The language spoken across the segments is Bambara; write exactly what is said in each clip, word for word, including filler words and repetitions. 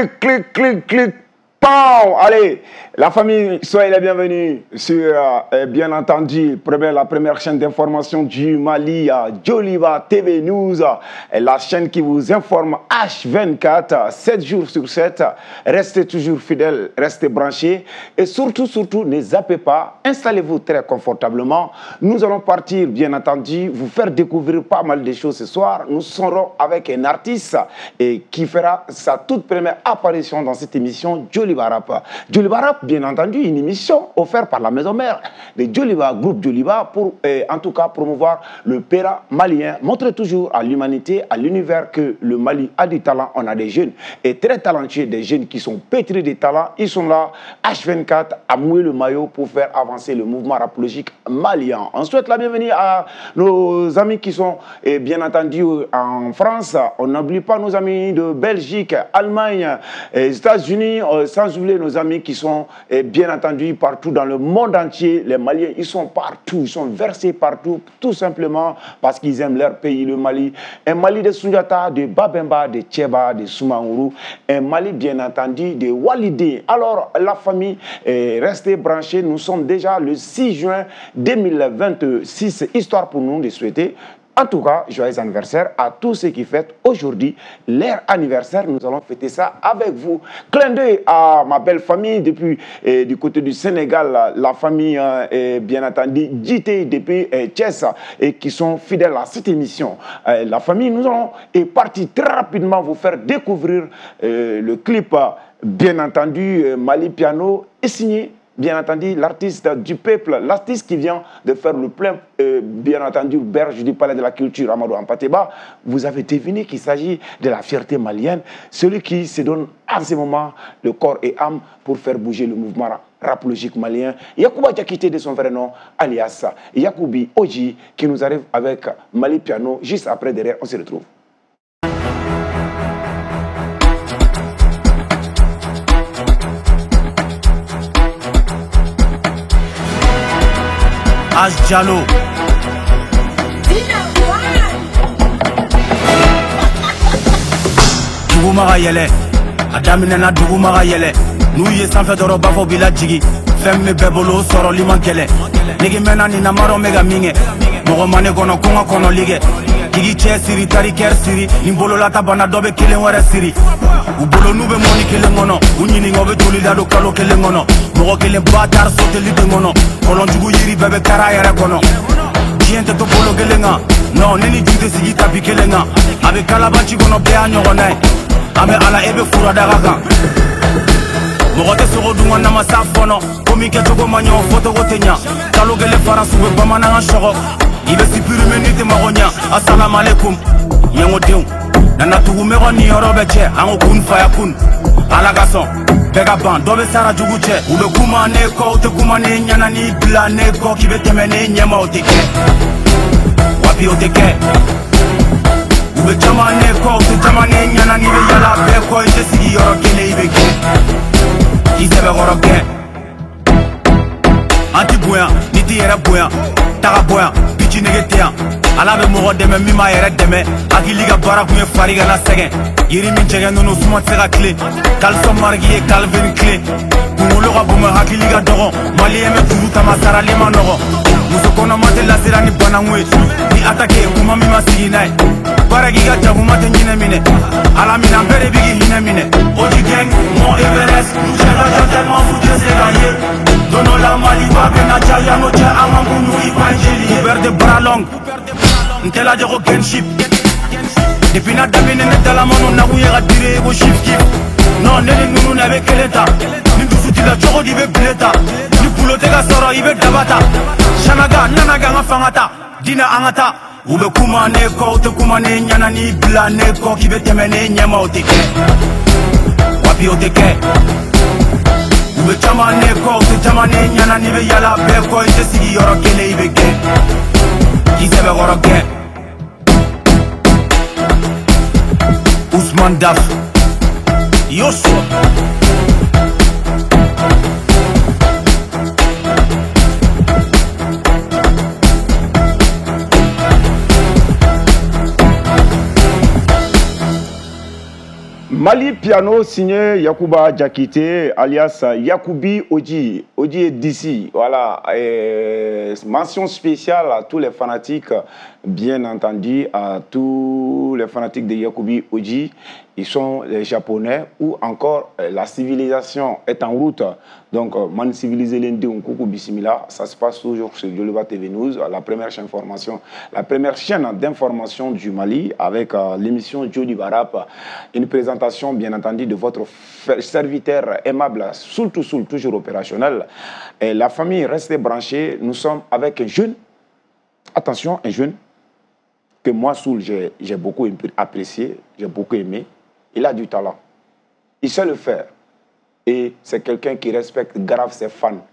Clic, clic, clic, clic. Pow! Allez, la famille, soyez les bienvenus sur, euh, bien entendu, première, la première chaîne d'information du Mali, Djoliba T V News, la chaîne qui vous informe H vingt-quatre, sept jours sur sept. Restez toujours fidèles, restez branchés et surtout, surtout, ne zappez pas, installez-vous très confortablement. Nous allons partir, bien entendu, vous faire découvrir pas mal de choses ce soir. Nous serons avec un artiste et qui fera sa toute première apparition dans cette émission Djoliba Rap. Djoliba Rap, bien entendu, une émission offerte par la maison mère de Djoliba, groupe Djoliba, pour eh, en tout cas promouvoir le Péra malien, montrer toujours à l'humanité, à l'univers que le Mali a du talent. On a des jeunes et très talentueux, des jeunes qui sont pétris de talent. Ils sont là, H vingt-quatre, à mouiller le maillot pour faire avancer le mouvement rapologique malien. On souhaite la bienvenue à nos amis qui sont eh, bien entendu en France. On n'oublie pas nos amis de Belgique, Allemagne, États-Unis, sans oublier nos amis qui sont eh, bien entendu partout dans le monde entier. Les Maliens, ils sont partout, ils sont versés partout, tout simplement parce qu'ils aiment leur pays, le Mali. Un Mali de Sundiata, de Babemba, de Tcheba, de Soumaoro, un Mali bien entendu de Walidé. Alors la famille, eh, restez branchés, nous sommes déjà le six juin deux mille vingt-six, histoire pour nous de souhaiter en tout cas, joyeux anniversaire à tous ceux qui fêtent aujourd'hui leur anniversaire. Nous allons fêter ça avec vous. Clin d'œil à ma belle famille depuis eh, du côté du Sénégal, la, la famille eh, bien entendu J T depuis eh, Thiès et qui sont fidèles à cette émission. Eh, la famille, nous allons et partir très rapidement vous faire découvrir eh, le clip, bien entendu, Mali Piano est signé, bien entendu, l'artiste du peuple, l'artiste qui vient de faire le plein, euh, bien entendu, berge du Palais de la Culture, Amadou Hampâté Bâ. Vous avez deviné qu'il s'agit de la fierté malienne, celui qui se donne à ce moment le corps et âme pour faire bouger le mouvement rapologique malien. Yacouba Diakité de son vrai nom, alias Yacoubi Oji, qui nous arrive avec Mali Piano. Juste après, derrière, on se retrouve. H Diallo. Duguma ka yɛlɛ, a daminɛna duguma ka yɛlɛ. N'u ye sanfɛ dɔrɔn b'a fɔ b'i lajigi. Fɛn min bɛɛ bolo o sɔrɔli man gɛlɛn. Nege mɛnna nin na n m'a dɔn n bɛ ka min kɛ. Mɔgɔ ma ne kɔnɔ ko n ka kɔnɔli kɛ. K'i cɛ siri tari kɛri siri. Ni bololata banna dɔ bɛ kelen wɛrɛ siri. U bolo n'u bɛ mɔni kelen kɔnɔ. U ɲininka u bɛ joli da don kalo kelen kɔnɔ. Mɔgɔ kelen ba taara soteli den kɔnɔ. Kɔlɔnjugu yiri bɛɛ bɛ kari a yɛrɛ kɔnɔ. Diɲɛ tɛ to bolo kelen kan. Non, ne ni ju tɛ sigi tapi kelen kan. A bɛ kalabanci kɔnɔ bɛɛ y'a ɲɔgɔnna ye. An bɛ ala e bɛ furadaga kan. Mɔgɔ tɛ sogo dun ka namasa fɔnɔ. Ko min kɛcogo ma ɲɛ o fɔcogo tɛ ɲa. Kalo kelen faransi bɛ bamanankan sɔgɔ. I bɛ supprimer n'i tɛ mago ɲa. Asalamualeykum ɲɛngodenw. Nana tugu mɛgɔ ni yɔrɔ bɛ cɛ. An ko kun faya kun. Ala ka sɔn. Bɛɛ ka ban dɔ bɛ sara jugu cɛ. U bɛ kuma ne kɔ u tɛ kuma ne ɲɛna. N'i bila ne kɔ k'i bɛ tɛmɛ ne ɲɛma o tɛ kɛ. Wapi o tɛ kɛ. U bɛ caman ne kɔ u tɛ caman ne ɲɛna. N'i bɛ yala bɛɛ kɔ i tɛ sigi yɔrɔ kelen i bɛ kɛ. K'i sɛbɛkɔrɔ kɛ. An ti bonya n'i t'i yɛrɛ bonya. Taga bonya bici nege tɛ yan. Ala bɛ mɔgɔ dɛmɛ min b'a yɛrɛ dɛmɛ. Hakili ka baara kun ye fari kana sɛgɛn. Yiri min jɛgɛn ninnu suma tɛ se ka tilen. Caleçon marque ye Calvin Klein. Kunkolo ka bon mais hakili ka dɔgɔn. Maliyɛn bɛ juru ta ma sarali ma nɔgɔn. Muso kɔnɔma tɛ lasira ni bananku ye. Ni attaqué kuma min ma sigi n'a ye. Baara k'i ka jakuma tɛ ɲinɛ minɛ. Ala minɛ an bɛɛ de b'i k'i hinɛ minɛ. Oji gang, Mont Everest, cɛ ka jan tellement fu tɛ se ka ye. Don dɔ la Maliba bɛna caya n'o cɛ an ka munu i ba jeli ye. Couvert de bras longs, n tɛ lajɛ ko Genship. Depuis n'a daminɛ ne dalamanu nakun ye ka dire i ko chief kif. Non, ne ni ninnu na bɛ kelen ta. Ni dusu t'i la cogo di i bɛ bile ta. Ni boulot tɛ ka sɔrɔ i bɛ daba ta. Sanaga nanaga an ka fanga ta. Dinɛ an ka taa. U bɛ kuma ne kɔ u tɛ kuma ne ɲɛna. N'i bila ne kɔ k'i bɛ tɛmɛ ne ɲɛma o tɛ kɛ. Wapi o tɛ kɛ. U bɛ caman ne kɔ u tɛ caman ne ɲɛna. N'i bɛ yala bɛɛ kɔ i tɛ sigi yɔrɔ kelen i bɛ kɛ. K'i sɛbɛkɔrɔ kɛ. Ousmane Daf Yoshua. Mali Piano signé Yakuba Diakité alias Yakubi Oji, Oji est d'ici. Voilà, et mention spéciale à tous les fanatiques, bien entendu, à tous les fanatiques de Yakubi Oji. Ils sont les Japonais ou encore la civilisation est en route. Donc, man civilisé l'Inde, Koukou Bismillah, ça se passe toujours sur Joliba T V News, la première chaîne formation, la première chaîne d'information du Mali avec euh, l'émission Joliba Rap. Une présentation, bien entendu, de votre serviteur aimable, Soul to Soul, toujours opérationnel. Et la famille, restez branchée. Nous sommes avec un jeune, attention, un jeune que moi, Soul, j'ai beaucoup apprécié, j'ai beaucoup aimé. Il a du talent. Il sait le faire. Et c'est quelqu'un qui respecte grave ses fans.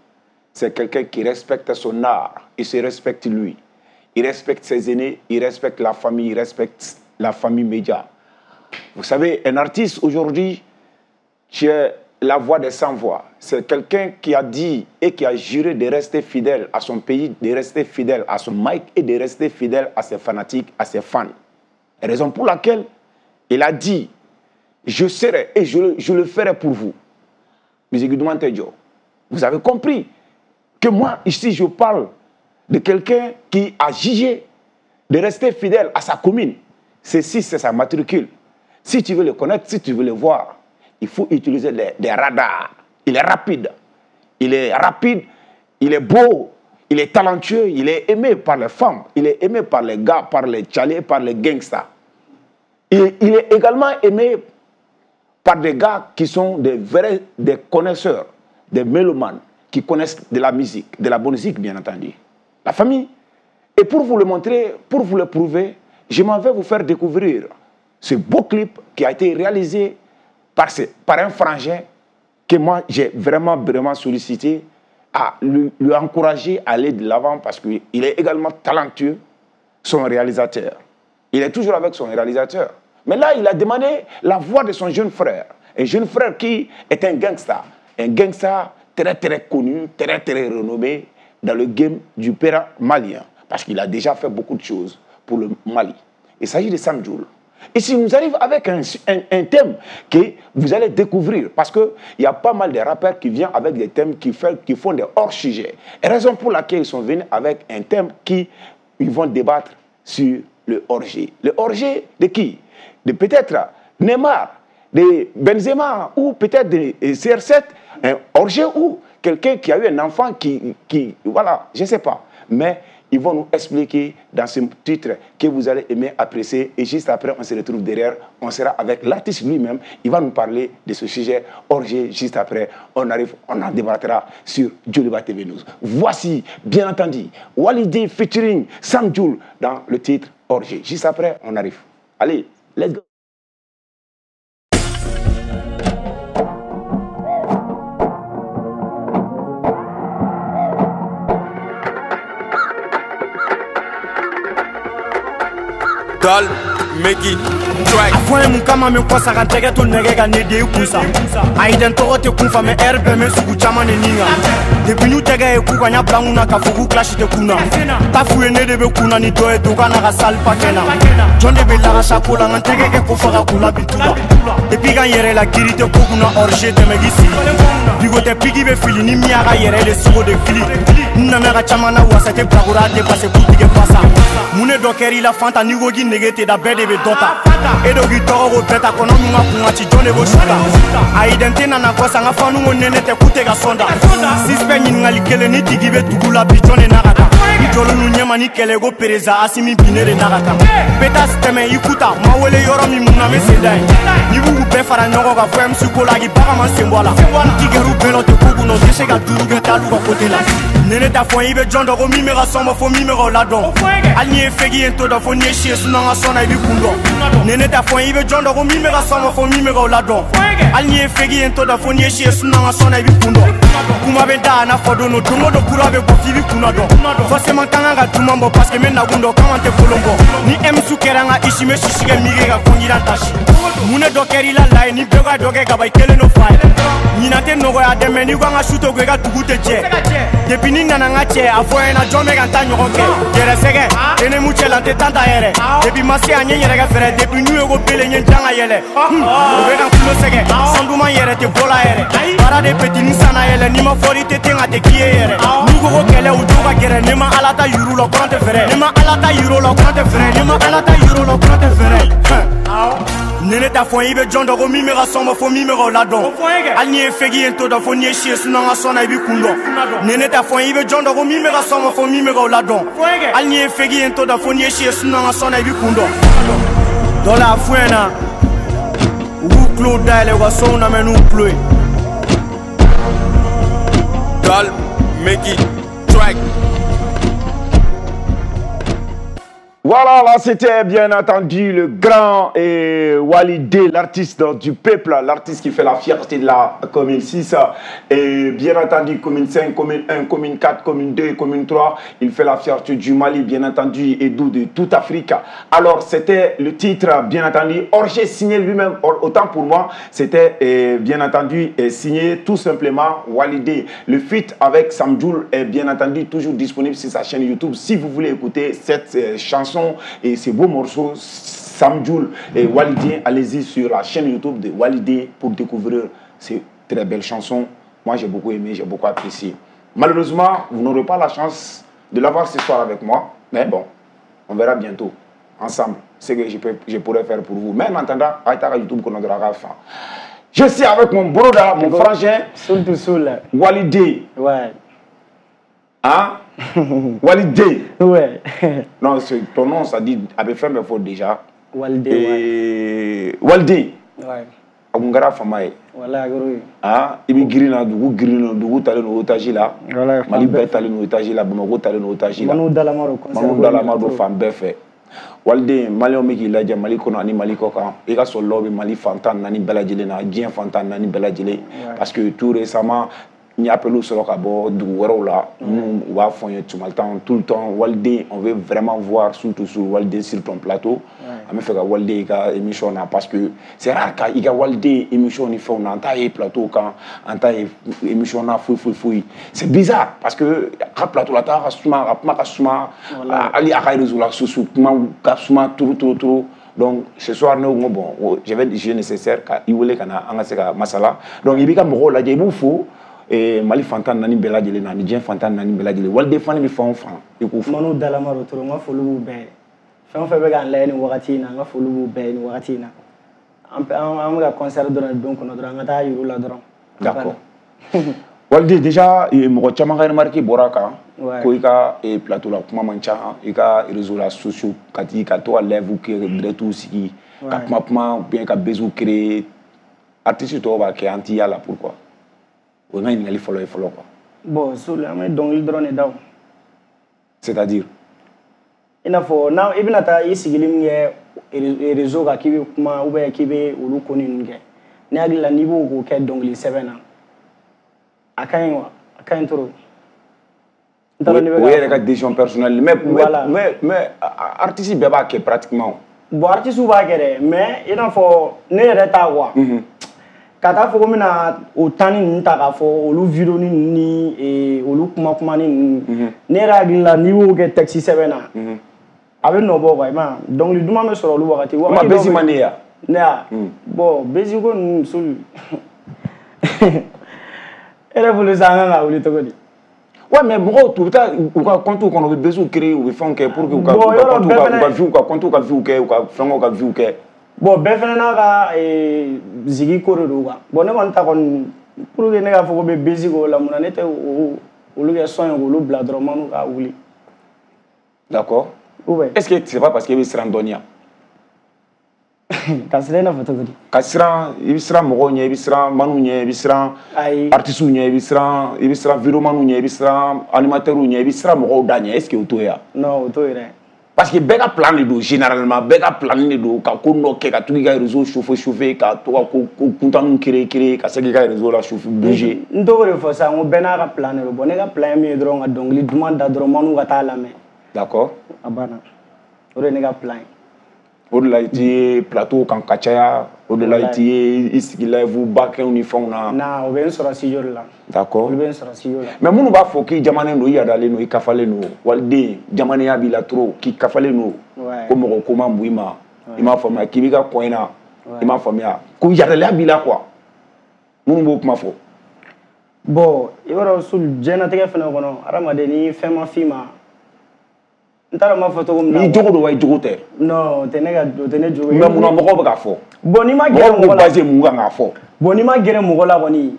C'est quelqu'un qui respecte son art. Il se respecte lui. Il respecte ses aînés, il respecte la famille, il respecte la famille média. Vous savez, un artiste aujourd'hui, qui est la voix des sans-voix, c'est quelqu'un qui a dit et qui a juré de rester fidèle à son pays, de rester fidèle à son mic et de rester fidèle à ses fanatiques, à ses fans. Raison pour laquelle il a dit, je serai et je, je le ferai pour vous. Vous avez compris que moi, ici, je parle de quelqu'un qui a jugé de rester fidèle à sa commune. Ceci, c'est sa matricule. Si tu veux le connaître, si tu veux le voir, il faut utiliser des, des radars. Il est rapide. Il est rapide, il est beau, il est talentueux, il est aimé par les femmes, il est aimé par les gars, par les tchalés, par les gangsters. Et il est également aimé par des gars qui sont des vrais, des connaisseurs, des mélomanes, qui connaissent de la musique, de la bonne musique, bien entendu. La famille. Et pour vous le montrer, pour vous le prouver, je m'en vais vous faire découvrir ce beau clip qui a été réalisé par, ce, par un frangin que moi, j'ai vraiment, vraiment sollicité à lui, lui encourager à aller de l'avant parce qu'il est également talentueux, son réalisateur. Il est toujours avec son réalisateur. Mais là, il a demandé la voix de son jeune frère. Un jeune frère qui est un gangster. Un gangster très, très connu, très, très renommé dans le game du père malien. Parce qu'il a déjà fait beaucoup de choses pour le Mali. Il s'agit de Sam Djoul. Et si nous arrive avec un, un, un thème que vous allez découvrir, parce qu'il y a pas mal de rappeurs qui viennent avec des thèmes qui, fait, qui font des hors-sujets. Raison pour laquelle ils sont venus avec un thème qui ils vont débattre sur le hors-jeu. Le hors-jeu de qui? De peut-être Neymar, de Benzema, ou peut-être de C R sept, un hors-jeu ou quelqu'un qui a eu un enfant qui, qui voilà, je ne sais pas. Mais ils vont nous expliquer dans ce titre que vous allez aimer, apprécier. Et juste après, on se retrouve derrière. On sera avec l'artiste lui-même. Il va nous parler de ce sujet hors-jeu. Juste après, on arrive, on en débattra sur Joliba T V News. Voici, bien entendu, Walidé featuring Sam Djoul dans le titre hors-jeu. Juste après, on arrive. Allez, let's go. Dal, make it track. A fɔ ye mun kama min kɔsa ka n tɛgɛ to nɛgɛ ka ne den kun sa. A ye den tɔgɔ tɛ kun fa mɛ ɛri bɛɛ mɛ sugu caman de nin kan. Depuis n'u tɛgɛ ye k'u ka ɲa bila n kunna ka fɔ k'u kilasi tɛ kun na. Ta f'u ye ne de bɛ kun na ni dɔ ye don ka na ka sali pa kɛ na. Jɔn de bɛ lagasa ko la n ka n tɛgɛ kɛ ko faga k'u la bi tu la. Depuis ka n yɛrɛ la kiiri tɛ ko kunna hors-jeu tɛmɛ k'i sigi. Bigo tɛ piki bɛ fili ni min y'a ka yɛrɛ de sogo de fili. N nana ka caman na wasa tɛ bilakoro a tɛ pase k'u tigɛ fasa. Mun de dɔ kɛr'i la fanta n'i ko k'i nege tɛ da bɛɛ de bɛ dɔ ta. E dɔ k'i tɔgɔ ko bɛɛ ta kɔnɔ min ka kun ka ci jɔn de b'o su ta. Ayi dɛ n tɛ nana kɔsa n ka fanu ko nɛnɛ tɛ k'u tɛ ka sɔn da. Suspect ɲininkali kelen ni tigi bɛ dugu la bi jɔn de n'a ka taa. I jɔlen n'u ɲɛma ni kɛlɛ ko pereza Asimi Biné de n'a ka taa. Bɛɛ tɛmɛ i kuta ma wele yɔrɔ min mun na n bɛ sen da yen. N'i b'u bɛɛ fara ɲɔgɔn kan fo M C ko la k'i bagan ma sen bɔ a la. N tigɛr'u bɛɛ la o tɛ ko kunna o tɛ se ka duuru kɛ t'al'u ka côté la. Nene t'a fɔ i bɛ jɔn dɔn ko min bɛ ka sɔn bɔ fo min bɛ k'o ladɔn. Hali n'i ye fegi ye n t'o dɔn fo n'i ye si ye sinon n ka sɔn na i b'i kun dɔn. Nene t'a fɔ i bɛ jɔn dɔn ko min bɛ ka sɔn bɔ fo min bɛ k'o ladɔn. Hali n'i ye fegi ye n t'o dɔn fo n'i ye si ye sinon n ka sɔn na i b'i kun dɔn. Kuma bɛ da a n'a fɔ don o don o don kura bɛ bɔ f'i b'i kunna dɔn. Forcément kan ka duman bɔ parce que n bɛ nakun dɔn k'anw tɛ kolon bɔ. Ni M C kɛra n ka isi n bɛ sisi kɛ mike ka kɔngiran tasi. Mun de dɔ kɛr'i la la ye ni bɛɛ ka dɔ kɛ kaba i kelen n'o fa ye. Ɲinan tɛ tɛ nɔgɔya dɛ mais n'i ko an ka su to ko i ka dugu tɛ jɛ depuis ni nana n ka cɛ a fɔ n ɲɛna jɔn bɛ ka n ta ɲɔgɔn kɛ yɛrɛ sɛgɛ e ne mu cɛ la n tɛ tan ta yɛrɛ depuis ma se yan n ye n yɛrɛ kɛ fɛrɛ depuis n'u ye ko bele n ye n jan ka yɛlɛ u bɛ ka n kulo sɛgɛ san duman yɛrɛ tɛ bɔla yɛrɛ baara de petit ni sanna yɛlɛ n'i ma fɔri tɛ ten ka tɛ k'i ye yɛrɛ n'u ko ko kɛlɛ u t'u ka gɛrɛ ne ma ala ta yuru la kɔrɔn tɛ fɛrɛ ne ma ala ta yuru la kɔrɔn tɛ fɛrɛ ne ma ala ta yuru la kɔrɔn tɛ fɛrɛ ne ne t'a fɔ i bɛ jɔn dɔn ko min bɛ ka sɔn ma fo min bɛ k'o ladɔn hali n'i ye fegi ye n t'o dɔn fo n'i ye si ye sinon n ka sɔn na i b'i kun dɔn ne ne t'a fɔ i bɛ jɔn dɔn ko min bɛ ka sɔn ma fo min bɛ k'o ladɔn hali n'i ye fegi ye n t'o dɔn fo n'i ye si ye sinon n ka sɔn na i b'i kun dɔn dɔ la a f'u ɲɛna u k'u tulo dayɛlɛ u ka sɔnw lamɛn n'u tulo ye. Dal, Mickey, Track. Voilà, là c'était bien entendu le grand et Walidé, l'artiste du peuple, l'artiste qui fait la fierté de la commune six, et bien entendu commune cinq, commune un, commune quatre, commune deux, commune trois, il fait la fierté du Mali, bien entendu, et d'où de toute Afrique. Alors c'était le titre, bien entendu, Orgé signé lui-même, autant pour moi, c'était bien entendu signé tout simplement Walidé. Le feat avec Samdjoul est bien entendu toujours disponible sur sa chaîne YouTube si vous voulez écouter cette chanson et ces beaux morceaux Samdjoul et Walidé, allez-y sur la chaîne YouTube de Walidé pour découvrir ces très belles chansons. Moi j'ai beaucoup aimé, j'ai beaucoup apprécié. Malheureusement, vous n'aurez pas la chance de l'avoir ce soir avec moi, mais bon, on verra bientôt ensemble ce que je, peux, je pourrais faire pour vous. Mais en attendant, YouTube qu'on aura faim. Je suis avec mon broda, mon frangin, Soul to Soul, Walidé. Ouais. Hein? Walidé. Ouais. Non, ton nom, ça dit avait fait mes fautes déjà. Walidé. Et... Walidé. Ouais. Agungara famaye. Voilà, gros. Ah, il grina dugu grina dugu talen no otage la. Voilà. Mali bɛɛ talen no otage la, Bamako talen no otage la. Manu Dalamaro concert. Manu Dalamaro fan bɛɛ fɛ. Walidé, Maliyɛnw bɛ k'i lajɛ Mali kɔnɔ ani Mali kɔ kan. I ka sɔrɔlaw bɛ Mali fan tan naani bɛɛ lajɛlen na, diɲɛ fan tan naani bɛɛ lajɛlen. Parce que tout récemment, n ye appel sɔrɔ ka bɔ dugu wɛrɛw la minnu u b'a fɔ n ye tuma temps tout le temps Walidé, on veut vraiment voir surtout sur Walidé sur ton plateau. An bɛ fɛ ka Walidé i ka émission na parce que c'est rare ka i ka Walidé émission ni fɛnw na an t'a ye plateau kan, an t'a ye émission na foyi foyi foyi. C'est bizarre parce que a ka plateau la taa ka suma, a ka kuma ka suma, hali a ka réseau la sociaux kuma ka suma trop trop trop. Donc ce soir ne ko bon, je vais jugé nécessaire ka i wele ka na an ka se ka masala. Donc i b'i ka mɔgɔw lajɛ, i b'u fo. Et Mali fantan naani bɛɛ lajɛlen na ni diɲɛ fantan naani bɛɛ lajɛlen Walidé fani bɛ fan o fan i k'u fo. Manu Dalamaro toro n ka foli b'u bɛɛ ye fɛn o fɛn bɛ k'an lajɛ nin wagati in na n ka foli b'u bɛɛ ye nin wagati in na an an bɛ ka concert dɔrɔn don kɔnɔ dɔrɔn an ka taa yir'u la dɔrɔn. D'accord. Walidé déjà mɔgɔ caman ka remarque bɔra a kan ko i ka plateau la kuma man ca, i ka réseau la sociaux ka t'i ka to ka live kɛ direct sigi ka kuma kuma ou bien ka buzz créer, artiste tɔw b'a kɛ an t'i y'a la pourquoi? O ye n ka ɲininkali fɔlɔ ye fɔlɔ quoi. Bon, Soul, an bɛ dɔnkili dɔrɔn de da o. C'est-à-dire? I n'a fɔ n'a i bɛna taa i sigili min kɛ réseau kan k'i bɛ kuma ou bien k'i bɛ olu ko ninnu kɛ, ne hakili la n'i b'o k'o kɛ dɔnkili sɛbɛn na, a ka ɲi wa? A ka ɲi trop. O yɛrɛ ka décision personnelle mais mais mais mais artiste bɛɛ b'a kɛ pratiquement. Bon, artiste b'a kɛ dɛ, mais i n'a fɔ ne yɛrɛ ta quoi. Ka taa fɔ ko n bɛna o tanni ninnu ta k'a fɔ olu vidéo ninnu ni olu kuma kumani ninnu, ne yɛrɛ hakili la n'i y'o kɛ texte sɛbɛn na, a bɛ nɔ bɔ quoi, i m'a ye dɔnkili duman bɛ sɔrɔ olu wagati. O ma bezi man di ya? Ne ya? Bon, bezi ko ninnu Soul, e yɛrɛ bolo sisan an kan ka wuli cogo di? Ouais, mais mɔgɔw u bɛ taa u ka compte kɔnɔ u bɛ beziw créer u bɛ fɛnw kɛ pour que u ka u ka compte u ka view ka compte ka view kɛ u ka fɛngɛw ka view kɛ. Bon, bɛɛ fɛnɛ n'a ka zigi ko de don quoi. Bon, ne kɔni ta kɔni pour que ne k'a fɔ ko bɛ bezi k'o la mun na ne tɛ olu kɛ son ye k'olu bila dɔrɔn manu k'a wuli. D'accord. Ou bien. Est-ce que c'est pas parce que i bɛ siran dɔɔni wa? Ka siran i n'a fɔ cogo di? Ka siran, i bɛ siran mɔgɔw ɲɛ, i bɛ siran manu ɲɛ, i bɛ siran artistes ɲɛ, i bɛ siran i bɛ siran vidéomanw ɲɛ, i bɛ siran animateurs ɲɛ, i bɛ siran mɔgɔw da ɲɛ. Est-ce que o t'o ye wa? Non, o t'o ye dɛ. Parce que bɛɛ ka plan de don généralement, bɛɛ ka plan de don ka ko dɔ kɛ ka to k'i ka réseau chauffer chauffer ka to ka ko ko kuntanninw créer créer ka se k'i ka réseau la chauffer bouger. N t'o de fɔ sisan n ko bɛɛ n'a ka plan de don. Bon, ne ka plan ye min ye dɔrɔn ka dɔnkili duman da dɔrɔn manu ka taa lamɛn. D'accord. A banna. O de ye ne ka plan ye. O de la i ti ye plateau kan ka caya, o de la i ti ye i sigi live ba kɛw ni fɛnw na. Na o bɛ n sɔrɔ studio de la. D'accord. Olu bɛ n sɔrɔ studio la. Mais minnu b'a fɔ k'i jamanen don, i yadalen don, i kafalen don, waliden jamanenya b'i la trop, k'i kafalen don, ko mɔgɔ ko man bon i ma, i m'a faamuya, k'i b'i ka kɔ in na, i m'a faamuya, ko yadalenya b'i la quoi. Minnu b'o kuma fɔ. Bon, i b'a dɔn Sul, diɲɛlatigɛ fɛnɛ kɔnɔ, hadamaden ni fɛn ma f'i ma, n t'a dɔn n b'a fɔ cogo min na. N'i jogo don wa i jogo tɛ? Non, o tɛ ne ka o tɛ ne jogo ye. Mais munna mɔgɔw bɛ k'a fɔ? Bon, n'i ma gɛrɛ mɔgɔ la. Mɔgɔw b'u baser mun kan k'a fɔ? Bon, n'i ma gɛrɛ mɔgɔ la kɔni,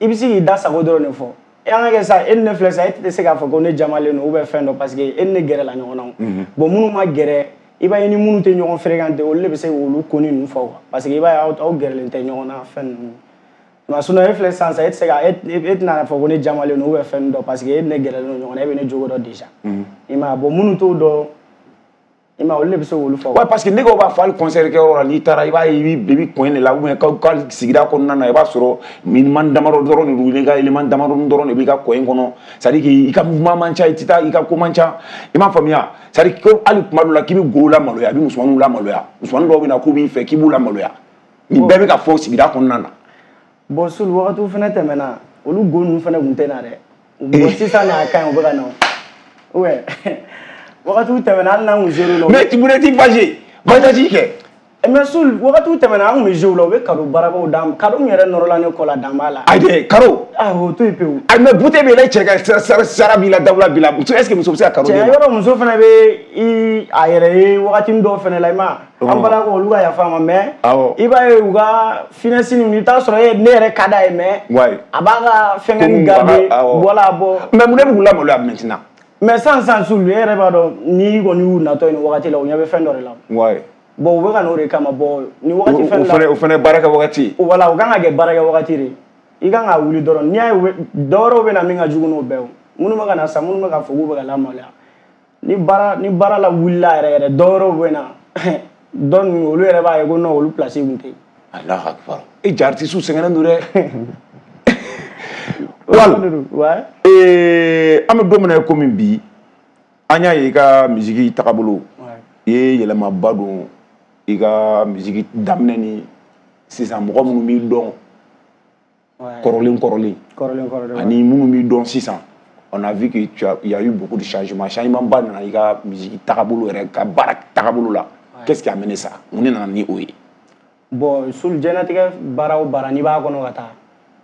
i bɛ se k'i da sago dɔrɔn de fɔ. E an ka kɛ sa, e ni ne filɛ sa, e tɛ se k'a fɔ ko ne jamalen don ou bien fɛn dɔ parce que e ni ne gɛrɛla ɲɔgɔn na o. Bon, minnu ma gɛrɛ, i b'a ye ni minnu tɛ ɲɔgɔn fréquenter, olu de bɛ se k'olu ko ni ninnu fɔ quoi. Parce que i b'a ye aw aw gɛrɛlen tɛ ɲɔgɔn na fɛn ninnu. Mais sinon e filɛ sisan sisan, e tɛ se ka e e tɛna fɔ ko ne jamalen don ou bien fɛn dɔ parce que e ni ne gɛrɛlen don ɲɔgɔn na, e bɛ ne jogo dɔn déjà. I m'a ye, bon minnu t'o dɔn, i m'a ye, olu de bɛ se k'olu fɔ. Ouais, parce que nɛgɛw b'a fɔ hali concert kɛyɔrɔ la, n'i taara i b'a ye i bɛ i bɛ coin de la ou bien ka sigida kɔnɔna na, i b'a sɔrɔ élément damadɔ dɔrɔn de don, i ka élément damadɔ dɔrɔn de b'i ka coin kɔnɔ, c'est à dire que i ka mouvement man ca, i tɛ taa i ka ko man ca, i m'a faamuya, c'est à dire que hali kuma dɔ la k'i bɛ gow lamaloya, i bɛ musomaninw lamaloya, musomanin dɔw bɛ na k'u b'i fɛ k'i b'u lamaloya, nin bɛɛ bɛ ka fɔ sigida kɔnɔna na. Bon, Sul, wagatiw fɛnɛ tɛmɛna, olu go ninnu fɛnɛ tun tɛ na dɛ. Bon, sisan n'a ka ɲi, u bɛ ka na o. Ouais. Wagatiw tɛmɛna, hali n'an kun zéro la. Mais tu voulais t'y fâcher, voyage kɛ. Mais Sul, wagatiw tɛmɛna, an kun bɛ jouer la, u bɛ cadeau barabaw d'an ma. Cadeau min yɛrɛ nɔrɔla ne kɔ la, dan b'a la. Ayi dɛ, cadeau. Ah, o to yen pewu. Ayi, mais bouteille bɛ yɛlɛ cɛ ka sara b'i la, dawula b'i la. Muso, est-ce que muso bɛ se ka cadeau d'e ma? Cɛ, yɔrɔ muso fɛnɛ bɛ i a yɛrɛ ye wagatinin dɔw fɛnɛ la, i ma ye. An balakaw olu ka yafa ma, mais i b'a ye u ka finesse ninnu, i bɛ taa sɔrɔ e ne yɛrɛ ka d'a ye, mais a b'a ka fɛngɛ garder, voilà bon. Mais mun de bɛ k'u lamaloya maintenant? Mais sisan sisan Sul, e yɛrɛ b'a dɔn n'i kɔni y'u natɔ ye nin wagati la, u ɲɛ bɛ fɛn dɔ de la. Ouais. Bon, u bɛ ka n'o de kama, bon ni wagati fɛn la. O fɛnɛ baara kɛ wagati. Voilà, o kan ka kɛ baara kɛ wagati de. I kan ka wuli dɔrɔn, n'i y'a ye dɔ wɛrɛw bɛ na min ka jugu n'o bɛɛ ye. Minnu bɛ ka na sisan, minnu bɛ ka fɔ k'u bɛ ka lamaloya. Ni baara ni baara la wulila yɛrɛ yɛrɛ, dɔ wɛrɛw bɛ na. Dɔ ninnu olu yɛrɛ b'a ye ko non, olu place kun tɛ yen. Alahu akibaru. E ja artiste sɛgɛnnen don dɛ. Wal. Ouais. Ee, an bɛ don min na i komi bi, an y'a ye i ka musique tagabolo. I ye yɛlɛmaba don i ka musique daminɛ ni sisan, mɔgɔ minnu b'i dɔn kɔrɔlen kɔrɔlen. Kɔrɔlen kɔrɔlen. Ani minnu b'i dɔn sisan, on a vu que tu as, il y a eu beaucoup de changements. Changement ba nana i ka musique tagabolo yɛrɛ, ka baara tagabolo la. Qu'est-ce qui a amené ça? Mun de nana ni o ye? Bon, Sul, diɲɛlatigɛ baara o baara n'i b'a kɔnɔ ka taa,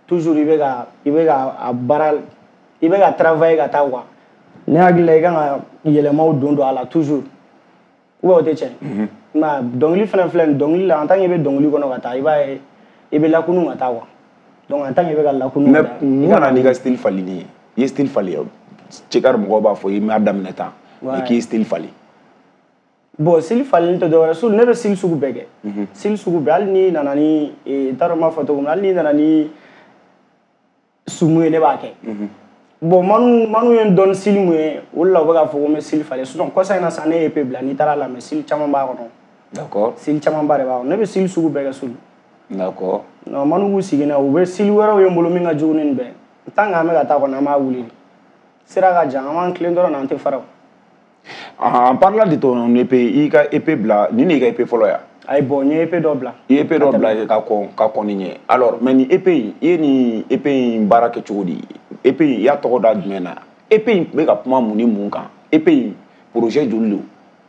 toujours i bɛ ka i bɛ ka a baara, i bɛ ka travailler ka taa quoi. Ne hakili la i kan ka yɛlɛmaw don don a la toujours. Ou bien o tɛ tiɲɛ? I m'a ye, dɔnkili fɛnɛ filɛ nin, dɔnkili la en tant que i bɛ dɔnkili kɔnɔ ka taa, i b'a ye i bɛ lakunu ka taa quoi. Donc en tant que i bɛ ka lakunu ka taa. Mais mun nana n'i ka style falenni ye? I ye style falen, Cɛkari mɔgɔw b'a fɔ i m'a daminɛ tan, mais k'i ye style falen. Bon, style falenni tɛ dɔwɛrɛ, Sul, ne bɛ style sugu bɛɛ kɛ. Style sugu bɛɛ, hali n'i nana ni, n t'a dɔn n b'a fɔ cogo min na, hali n'i nana ni sumu ye, ne b'a kɛ. Bon, manu manu ye n dɔn style mun ye, o de la u bɛ k'a fɔ ko n bɛ style falen. Sinon kɔsa in na sisan ne ye E P bila, n'i taara lamɛn style caman b'a kɔnɔ. D'accord. Style camanba de b'a kɔnɔ. Ne bɛ style sugu bɛɛ kɛ Sul. D'accord. Non, manu b'u sigi n'a ye, u bɛ style wɛrɛw ye n bolo min ka jugu ni nin bɛɛ ye. Tant que an bɛ ka taa kɔni, an b'a wuli de. Sira ka jan, an b'an tilen dɔrɔn an tɛ fara o. En parlant de ton E P, i ka E P bila, nin de y'i ka E P fɔlɔ ya? Ayi, bon, n ye E P dɔ bila. I ye E P dɔ bila ka kɔn ka kɔn nin ɲɛ. Alors, mais nin E P in, i ye nin E P in baara kɛ cogo di? E P in, i y'a tɔgɔ da jumɛn na? E P in bɛ ka kuma mun ni mun kan? E P in projet joli don?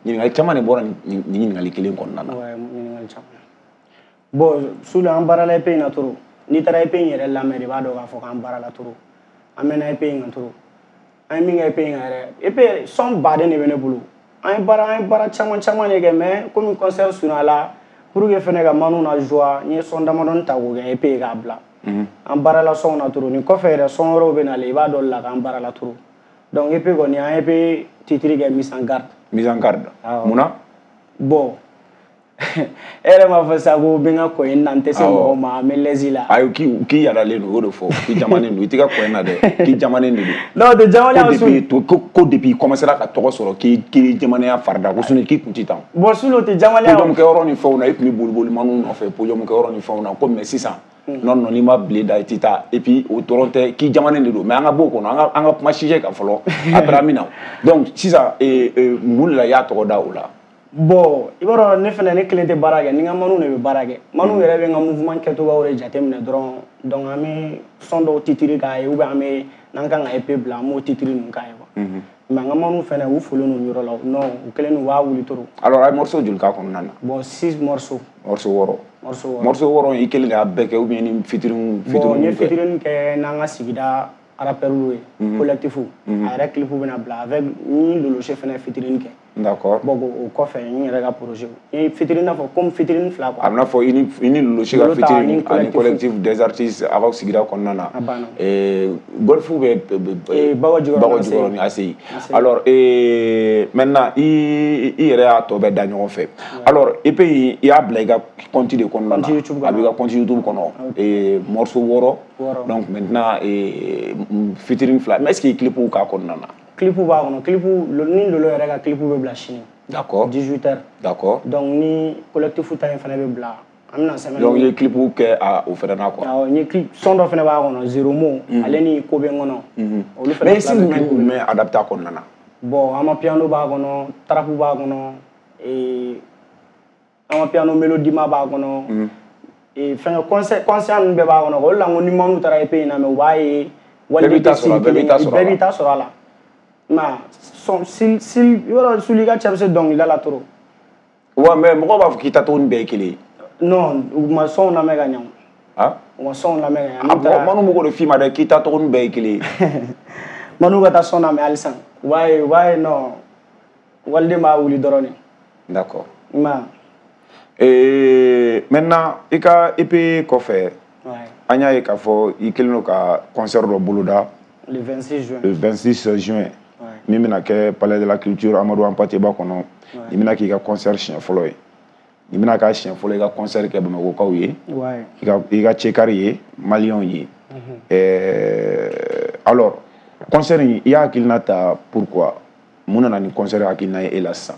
Ɲininkali caman de bɔra nin ɲininkali kelen kɔnɔna na. Ouais, ɲininkali caman. Bon, Sul, an baarala E P in na trop. N'i taara E P in yɛrɛ lamɛn de, i b'a dɔn k'a fɔ k'an baarala trop. An mɛnna E P in kan trop. An ye min kɛ E P in kan yɛrɛ, E P son baden de bɛ ne bolo. An ye baara an ye baara caman caman de kɛ, mais komi concert surunyala la, pour que fɛnɛ ka manu na joie, n ye son damadɔni ta k'o kɛ E P ye k'a bila. An baarala sonw na trop. Nin kɔfɛ yɛrɛ son wɛrɛw bɛ nalen, i b'a dɔn la k'an baarala trop. Donc E P kɔni, an ye E P titre kɛ mise en garde. Mise en garde. Munna? Bon, e yɛrɛ m'a fɔ sisan ko n bɛ n ka kɔ in na, n tɛ se mɔgɔ ma, n bɛ lɛsi la. Ayi, k'i k'i yadalen don, o de fɔ, k'i jamanen don, i t'i ka kɔ in na dɛ, k'i jamanen de don. Non, o tɛ jamanenya Ko depuis ko ko depuis i commencera ka tɔgɔ sɔrɔ k'i k'i jamanenya farida, ko sinon k'i kun tɛ tan. Bon, Sul, o tɛ jamanenya. Podium kɛyɔrɔ ni fɛnw na, i tun bɛ boli boli maniw nɔfɛ podium kɛyɔrɔ ni fɛnw na, ko mais sisan non non n'i ma bile da i tɛ taa, et puis o dɔrɔn tɛ, k'i jamanen de don, mais an ka bɔ o kɔnɔ, an ka an ka kuma sujet kan fɔlɔ, après an bɛ na. Donc sisan mun de la i y'a tɔgɔ da o la? Bon, i b'a dɔn ne fɛnɛ ne kelen tɛ baara kɛ, ni n ka manu de bɛ baara kɛ. Manu yɛrɛ bɛ n ka mouvement kɛcogoyaw de jateminɛ dɔrɔn. Donc an bɛ son dɔw titre k'a ye ou bien an bɛ n'an kan ka E P bila an b'o titre ninnu k'a ye quoi. Mais an ka manu fɛnɛ u folen don yɔrɔ la, non u kɛlen don u b'a wuli trop. Alors a ye morceau joli k'a kɔnɔna na? Bon, six morceaux. Morceau wɔɔrɔ. Morceau wɔɔrɔ. Morceau wɔɔrɔ i kelen de y'a bɛɛ kɛ ou bien ni featuring featuring? Bon, n ye featuring kɛ n'an ka sigida rappeurs ye, collectif. A yɛrɛ clip bɛna bila avec ni Lolose fɛnɛ featuring kɛ. D'accord. Bon, o kɔfɛ n yɛrɛ ka projet n ye featuring n'a fɔ comme featuring fila quoi. A bɛna fɔ i ni i ni Lolose ka featuring ani collectif des artistes aw ka sigida kɔnɔna na. A banna. Golf bɛ Bawa Jikɔrɔni A C I. Alors maintenant i i yɛrɛ y'a tɔ bɛɛ da ɲɔgɔn fɛ. Alors E P in i y'a bila i ka compte de kɔnɔna na. A b'i ka compte YouTube kɔnɔ. Morceau wɔɔrɔ. Donc maintenant featuring fila. Mais est-ce que clip k'a kɔnɔna na? Clip b'a kɔnɔ, clip ni Lolo yɛrɛ ka clip bɛ bila sini. D'accord. dix-huit heures. D'accord. Donc ni collectif ta in fana bɛ bila. An bɛna semaine. Donc i ye clip kɛ a o fana na quoi. Awɔ, n ye clip son dɔ fana b'a kɔnɔ, Zéro Mot, ale ni Ko bɛ n kɔnɔ. Olu fana. Mais style jumɛn jumɛn adapté a kɔnɔna na? Bon, amapiano b'a kɔnɔ, trap b'a kɔnɔ, ee amapiano mélodie b'a kɔnɔ. Ee fɛngɛ concert concert ninnu bɛɛ b'a kɔnɔ. O de la n ko ni manu taara E P in na mais u b'a ye. Bɛɛ b'i ta sɔrɔ, bɛɛ b'i ta sɔrɔ. Bɛɛ b'i ta sɔrɔ a la. Ma son sil sil yɔrɔ suli ka cɛ bɛ se dɔnkilida la trop. Ouais, mais mɔgɔw b'a fɔ k'i ta cogo ni bɛɛ ye kelen ye. Non, u ma sɔnw lamɛn ka ɲɛ o. Ah? U ma sɔnw lamɛn ka ɲɛ. A mɔgɔ manu b'o de f'i ma dɛ k'i ta cogo ni bɛɛ ye kelen ye. Manu ka taa sɔn lamɛn halisa. U b'a ye u b'a ye non waliden b'a wuli dɔrɔn de. D'accord. I m'a ye. Ee maintenant i ka E P kɔfɛ. An y'a ye k'a fɔ i kɛlen don ka concert dɔ boloda. Le vingt-six juin. Le vingt-six juin. Min bɛna kɛ Palais de la Culture Amadou Hampâté Bâ kɔnɔ. I bɛna k'i ka concert siɲɛ fɔlɔ ye. I bɛna k'a siɲɛ fɔlɔ i ka concert kɛ Bamakɔkaw ye. I ka i ka cɛkari ye, maliyɛnw ye. Ɛɛ alors concert in i y'a hakilina ta pourquoi? Mun nana ni concert hakilina ye e la sisan?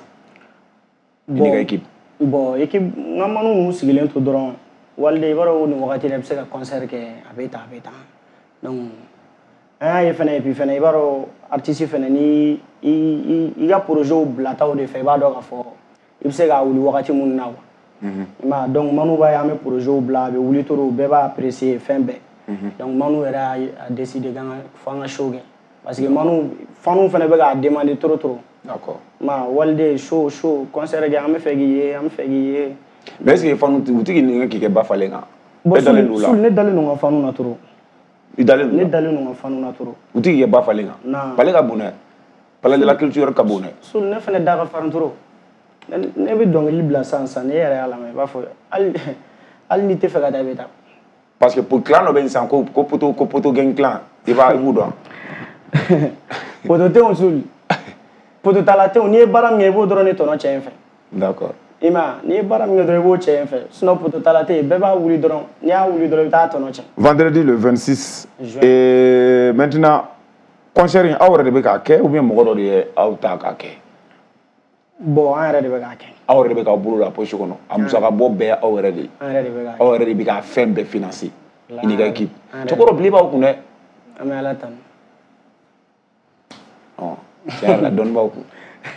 I n'i ka équipe. Bon, équipe n ka manu ninnu sigilen to dɔrɔn waliden i b'a dɔn nin wagati la i bɛ se ka concert kɛ a bɛ tan a bɛ tan. Donc an y'a ye fɛnɛ et puis fɛnɛ i b'a dɔn artiste fɛnɛ ni i i ka projet bilataw de fɛ i b'a dɔn k'a fɔ i bɛ se k'a wuli wagati minnu na quoi. I m'a ye donc manu b'a ye an bɛ projet bila a bɛ wuli trop bɛɛ b'a apprécier fɛn bɛɛ. Donc manu yɛrɛ y'a décidé k'an ka fo an ka show kɛ parce que manu fanu fɛnɛ bɛ k'a demander trop trop. D'accord. Ma waliden show show concert kɛ an bɛ fɛ k'i ye an bɛ fɛ k'i ye. Mais est-ce que fanu u ti k'i nɛgɛ k'i kɛ ba falen kan? Bon, Sul ne dalen don n ka fanu na trop. I dalen don? Ne dalen don n ka fanu na trop. U ti k'i kɛ ba falen kan? Non. Palais ka bon dɛ. Palais de la Culture ka bon dɛ. Sul ne fɛnɛ da ka farin trop. Ne bɛ dɔnkili bila sisan sisan n'e yɛrɛ y'a lamɛn i b'a fɔ hali hali n'i tɛ fɛ ka taa i bɛ taa. Parce que pour clan dɔ bɛ yen sisan ko ko poto ko poto gang clan i b'a i b'u dɔn. Poto tɛ yen Sul. Poto tala tɛ yen n'i ye baara min kɛ i b'o dɔrɔn de tɔnɔ cɛ in fɛ. D'accord. I m'a ye n'i ye baara min kɛ dɔrɔn i b'o cɛ in fɛ sinon poto tala tɛ yen bɛɛ b'a wuli dɔrɔn n'i y'a wuli dɔrɔn i bɛ taa tɔnɔ cɛ. Vendredi le vingt-six. Juin. Et maintenant concert in aw yɛrɛ de bɛ k'a kɛ ou bien mɔgɔ dɔ de ye aw ta k'a kɛ? Bon, an yɛrɛ de bɛ k'a kɛ. Aw yɛrɛ de bɛ k'aw bolo la poche kɔnɔ a musaka bɔ bɛɛ aw yɛrɛ de ye. An yɛrɛ de bɛ k'a kɛ. Aw yɛrɛ de bɛ k'a fɛn bɛɛ financer. I n'i ka équipe. Cɛkɔrɔ bilen b'aw kun dɛ. An bɛ Ala tanu. Ɔ tiɲɛ yɛrɛ la dɔnni b'aw kun.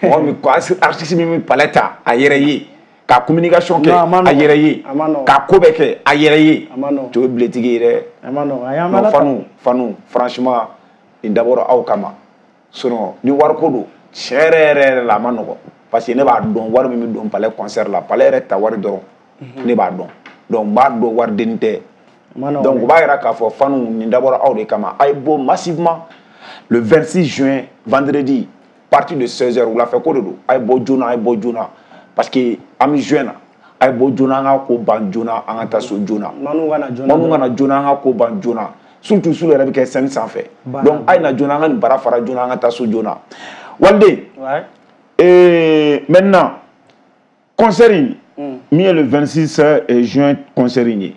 Mɔgɔ min ko artiste min bɛ palais ta a yɛrɛ ye ka communication kɛ a yɛrɛ ye ka ko bɛɛ kɛ a yɛrɛ ye. Cɛ o ye biletigi ye dɛ. A ma nɔgɔn. A y'an bɛ Ala tanu. Fanu fanu franchement nin dabɔra aw kama sinon ni wariko don tiɲɛ yɛrɛ yɛrɛ yɛrɛ la a ma nɔgɔn. Parce que ne b'a dɔn wari min bɛ don palais concert la palais yɛrɛ ta wari dɔrɔn ne b'a dɔn donc n b'a dɔn wariden tɛ. Donc u b'a yira k'a fɔ fanu nin dabɔra aw de kama a ye bɔ massivement le vingt-six juin vendredi partir de seize heures wulafɛ ko de don a ye bɔ joona a ye bɔ joona parce que an bɛ juin na a ye bɔ joona an ka ko ban joona an ka taa so joona. Manu ka na joona manu ka na joona an ka ko ban joona surtout sul yɛrɛ bɛ kɛ scène sanfɛ donc a ye na joona an ka nin baara fara joona an ka taa so joona waliden. Et maintenant, concert in min ye le vingt-six juin concert in ye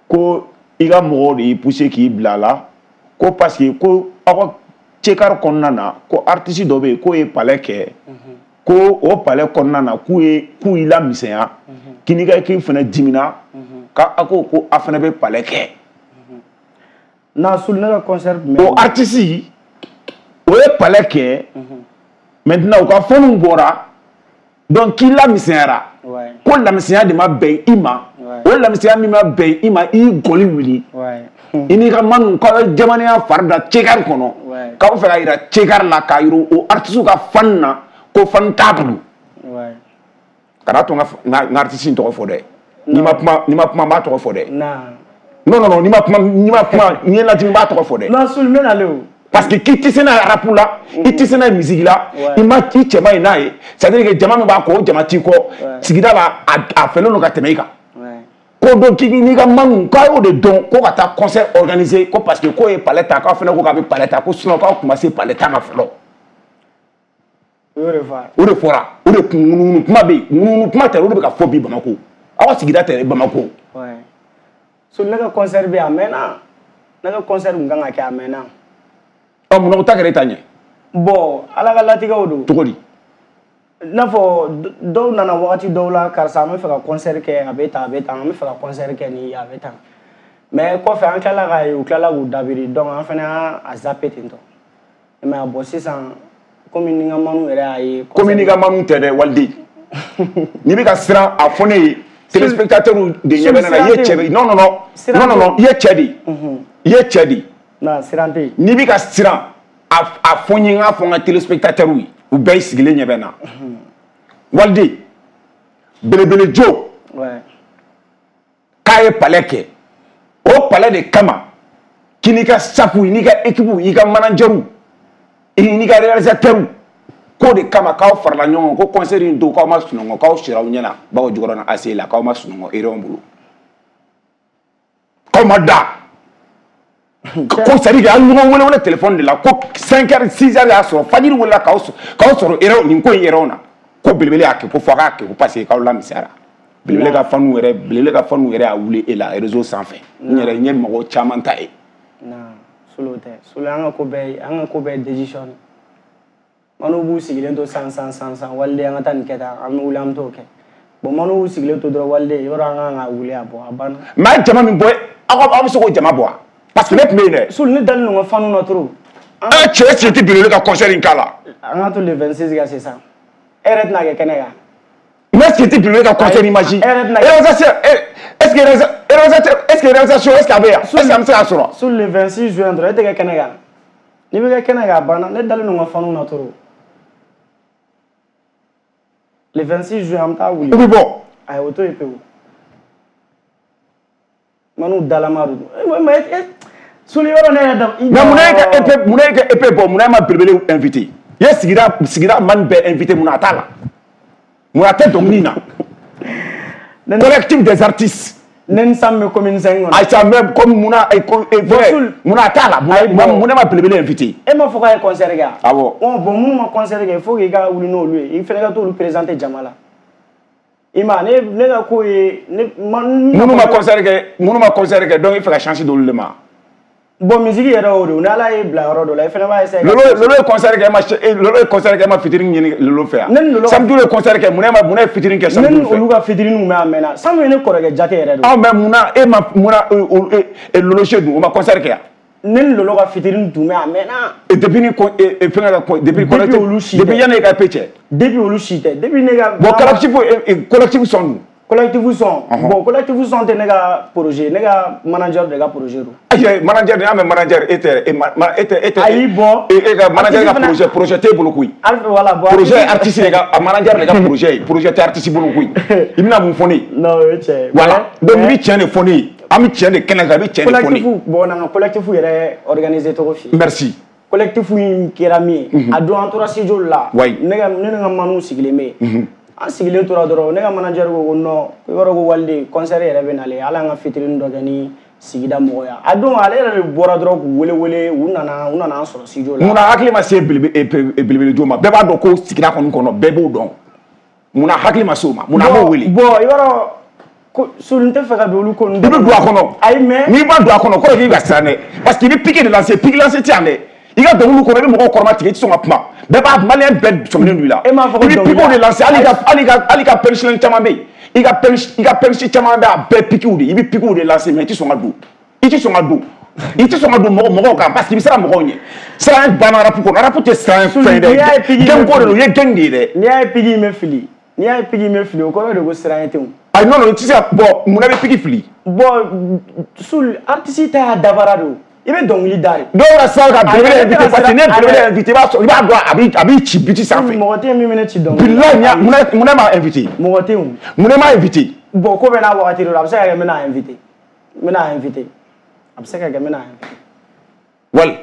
ko i ka mɔgɔw de y'i poussé k'i bila a la ko parce que ko aw ka cɛkari kɔnɔna na ko artiste dɔ bɛ yen k'o ye palais kɛ ko o palais kɔnɔna na k'u ye k'u y'i lamisɛnya k'i n'i ka équipe fana dimina k'a ko ko a fana bɛ palais kɛ. Non, Sul ne ka concert tun bɛ. O artiste o ye palais kɛ. Maintenant u ka fɛnw bɔra Donc k'i lamisɛnyara. Ko lamisɛnya de ma bɛn i ma. O lamisɛnya min ma bɛn i ma, i y'i gɔli wuli. I n'i ka manu k'aw ye jamanaya fari da cekari kɔnɔ. K'aw fɛ ka yira cekari la, k'a yira o artiste ka fan na ko fan t'a bolo. Kana to n ka n ka artiste in tɔgɔ fɔ dɛ. N'i ma kuma, n'i ma kuma n b'a tɔgɔ fɔ dɛ. Non non non, n'i ma kuma, n'i ma kuma, n'i ye lajigin n b'a tɔgɔ fɔ dɛ. Non, Soul, n bɛ nalen o. Parce que k'i tɛ se n'a ye rap la, i tɛ se n'a ye musique la, i ma i cɛ ma ɲi n'a ye, c'est à dire que jama min b'a kɔ, o jama t'i kɔ, sigida la a fɛlen don ka tɛmɛ i kan. Ko donc k'i n'i ka manu k'a y'o de dɔn ko ka taa concert organiser ko parce que k'o ye palais ta, k'aw fana ko k'a bɛ palais ta, ko sinon k'aw tun ma se palais ta ma fɔlɔ. O de fɔra. O de fɔra, o de kun ŋunuŋunu kuma bɛ yen, ŋunuŋunu kuma tɛ, o de bɛ ka fɔ bi Bamako. Aw ka sigida tɛ Bamako. So ne ka concert bɛ yen a mɛnna, ne ka concert kun kan ka kɛ a mɛnna. Ɔ munna o ta kɛra e ta ɲɛ? Bon, Ala ka latigɛw don. Cogo di? I n'a fɔ dɔw nana wagati dɔw la, karisa an bɛ fɛ ka concert kɛ, a bɛ tan, a bɛ tan, an bɛ fɛ ka concert kɛ nin, a bɛ tan. Mais kɔfɛ an tilala k'a ye, u tilala k'u dabiri, donc an fana y'a zappé ten tɔ. Mais bon sisan, komi ni n ka manu yɛrɛ y'a ye. Komi n'i ka manu tɛ dɛ, Waliden. N'i bɛ ka siran a fɔ ne ye, téléspectateur de ɲɛ bɛ ne la, i ye cɛ de. Non non non, non non non, i ye cɛ de. I ye cɛ de. Non, siran tɛ yen. N'i bɛ ka siran a fɔ n ye, n k'a fɔ n ka téléspectateur ye, u bɛɛ sigilen ɲɛ bɛ n na. Waliden, belebele jo. K'a ye palais kɛ, o palais de kama k'i n'i ka staff, i n'i ka équipe, i ka manager, i n'i ka réalisateur, k'o de kama k'aw farala ɲɔgɔn kan ko concert in don k'aw ma sunɔgɔ, k'aw sira aw ɲɛna bawo jukɔrɔ A C la, k'aw ma sunɔgɔ erreur bolo, k'aw ma da. Ko c'est à dire que an ɲɔgɔn wele wele téléphone de la ko cinq heures six heures y'a sɔrɔ fajiri welela k'aw k'aw sɔrɔ erreur nin ko in erreur na, ko belebele y'a kɛ ko fo a k'a kɛ ko parce que k'aw lamisɛnyara. Belebele ka fanu yɛrɛ, belebele ka fanu yɛrɛ y'a wuli e la réseau sanfɛ. N yɛrɛ n ye mɔgɔ caman ta ye. Non, Soul tɛ. Soul an ka ko bɛɛ, an ka ko bɛɛ décision. Manu b'u sigilen to san san san san, Waliden an ka taa nin kɛ tan, an bɛ wuli an bɛ t'o kɛ. Bon manu b'u sigilen to dɔrɔn, Waliden yɔrɔ an kan ka wuli a bɔ a banna. Mais a ye jama min bɔ, aw aw bɛ se k'o jama bɔ wa? Parce que ne tun bɛ yen dɛ. Soul, ne dalen don n ka fanu na trop. Ɛ cɛ cɛ tɛ belebele ka concert in k'a la. An ka to le vingt-six ka sisan. E yɛrɛ tɛna kɛ kɛnɛ kan. Mais est-ce que tɛ belebele ka concert imagine? Réalisation, est-ce que réalisateur, est-ce que réalisation, est-ce que a bɛ yan? Est-ce que an bɛ se k'a sɔrɔ? Soul, le vingt-six juin dɔrɔn e tɛ kɛ kɛnɛ kan. N'i bɛ kɛ kɛnɛ kan a banna, ne dalen don n ka fanu na trop. Le vingt-six juin an bɛ taa wuli. U bɛ bɔ. Ayi o to yen pewu. Manu dalama don. Mais Soul yɔrɔ ne yɛrɛ da. Mais munna e ka E P, munna e ka E P bɔ, munna e ma belebele invité? I ye sigida sigida man bɛɛ invité, munna a t'a la? Munna a tɛ dɔnkili in na? Collectif des artistes. Ne ni Sam bɛ commune cinq kɔnɔ. Ayi sa mais comme munna munna a t'a la? Munna e ma belebele invité? E ma fɔ k'a ye concert kɛ wa? Awɔ. Bon minnu ma concert kɛ, il faut k'i ka wuli n'olu ye, i fana ka t'olu présenter jama la. I ma ne ne ka ko ye ne ma. Minnu ma concert kɛ, minnu ma concert kɛ, donc i fɛ ka chance d'olu de ma. Bon musique yɛrɛ y'o de ye, ni Ala ye bila yɔrɔ dɔ la, i fana b'a essayer. Lolo Lolo ye concert kɛ, e ma Lolo ye concert kɛ, e ma featuring ɲini Lolo fɛ yan. Ne ni Lolo. Samedi ye concert kɛ, munna e ma munna e featuring kɛ Samedi fɛ? Ne ni olu ka featuring kun bɛ a mɛnna. Samedi ye ne kɔrɔkɛ jate yɛrɛ de. Aw mais munna e ma munna Lolo se dun o ma concert kɛ yan? Ne ni Lolo ka featuring tun bɛ a mɛnna. Et depuis ni fɛngɛ ka depuis depuis olu si tɛ. Depuis yanni e ka E P cɛ. Depuis olu si tɛ. Depuis ne ka. Bon collectif collectif son dun. Collectif son. Bon collectif son tɛ ne ka projet, ne ka manager de ka projet don. Ayi manager de y'a mɛn manager e tɛ e tɛ e tɛ. Ayi bon. E ka manager ka projet projet t'e bolo koyi. Voilà bon. Projet artiste de ka a manager de ka projet ye, projet tɛ artiste bolo koyi. I bɛna mun fɔ ne ye? Non o ye tiɲɛ ye. Voilà donc i bɛ tiɲɛ de fɔ ne ye, an bɛ tiɲɛ de kɛnɛ kan, i bɛ tiɲɛ de fɔ ne ye. Collectif bon n'an ka collectif yɛrɛ organiser cogo f'i ye. Merci. Collectif in kɛra min ye. A don an tora studio la. Oui. Ne ka ne ni n ka manu sigilen bɛ yen. An sigilen tora dɔrɔn ne ka manager ko ko non ko i b'a dɔn ko Waliden concert yɛrɛ bɛ nalen hali an ka featuring dɔ kɛ ni sigida mɔgɔ ye a don ale yɛrɛ de bɔra dɔrɔn k'u wele wele u nana u nana an sɔrɔ studio la. Munna hakili ma se belebele jo ma, bɛɛ b'a dɔn ko sigida kɔni kɔnɔ bɛɛ b'o dɔn, munna hakili ma se o ma, munna a b'o wele. Bon i b'a dɔn ko Soul n tɛ fɛ ka don olu ko ninnu. I bɛ don a kɔnɔ. Ayi mais. N'i ma don a kɔnɔ kɔrɔ k'i ka siran dɛ, parce que i bɛ pique de lancer, pique lancer tɛ yan dɛ. I ka dɔnkiliw kɔnɔ i bɛ mɔgɔw kɔrɔma tigɛ i tɛ sɔn ka kuma, bɛɛ b'a maliyɛn bɛɛ sɔminen don i la. E m'a fɔ ko i bɛ piquew de lancer, hali ka hali ka hali ka punchline caman bɛ yen, i ka punch i ka punch caman bɛ a bɛɛ piquew de, i bɛ piquew de lancer mais i tɛ sɔn ka don, i tɛ sɔn ka don, i tɛ sɔn ka don mɔgɔ mɔgɔw kan parce que i bɛ siran mɔgɔw ɲɛ. Siran banna rap kɔnɔ, rap tɛ siran fɛn ye dɛ, gang ko de don, i ye gang de ye dɛ. N'i y'a ye pique in bɛ fili. N'i y'a ye pique bɛ fili, o kɔrɔ de ko siran tɛ o. Ayi, non, non, i tɛ se ka bon, munna bɛ pique fili? Bon, Soul, artiste ta y'a dabara de o. I bɛ dɔnkili da de. Dɔw yɛrɛ sera ka belebele invité, parce que ne ye belebele invité, i b'a sɔrɔ i b'a dɔn a b'i a b'i ci biti sanfɛ. Mɔgɔ tɛ yen min bɛ ne ci dɔnkili. Bilahi, munna munna m'a invité? Mɔgɔ tɛ yen. Munna m'a invité? Bon, ko bɛɛ n'a wagati de don, a bɛ se ka kɛ n bɛna invité. N bɛna invité. A bɛ se ka kɛ n bɛna invité. Wali.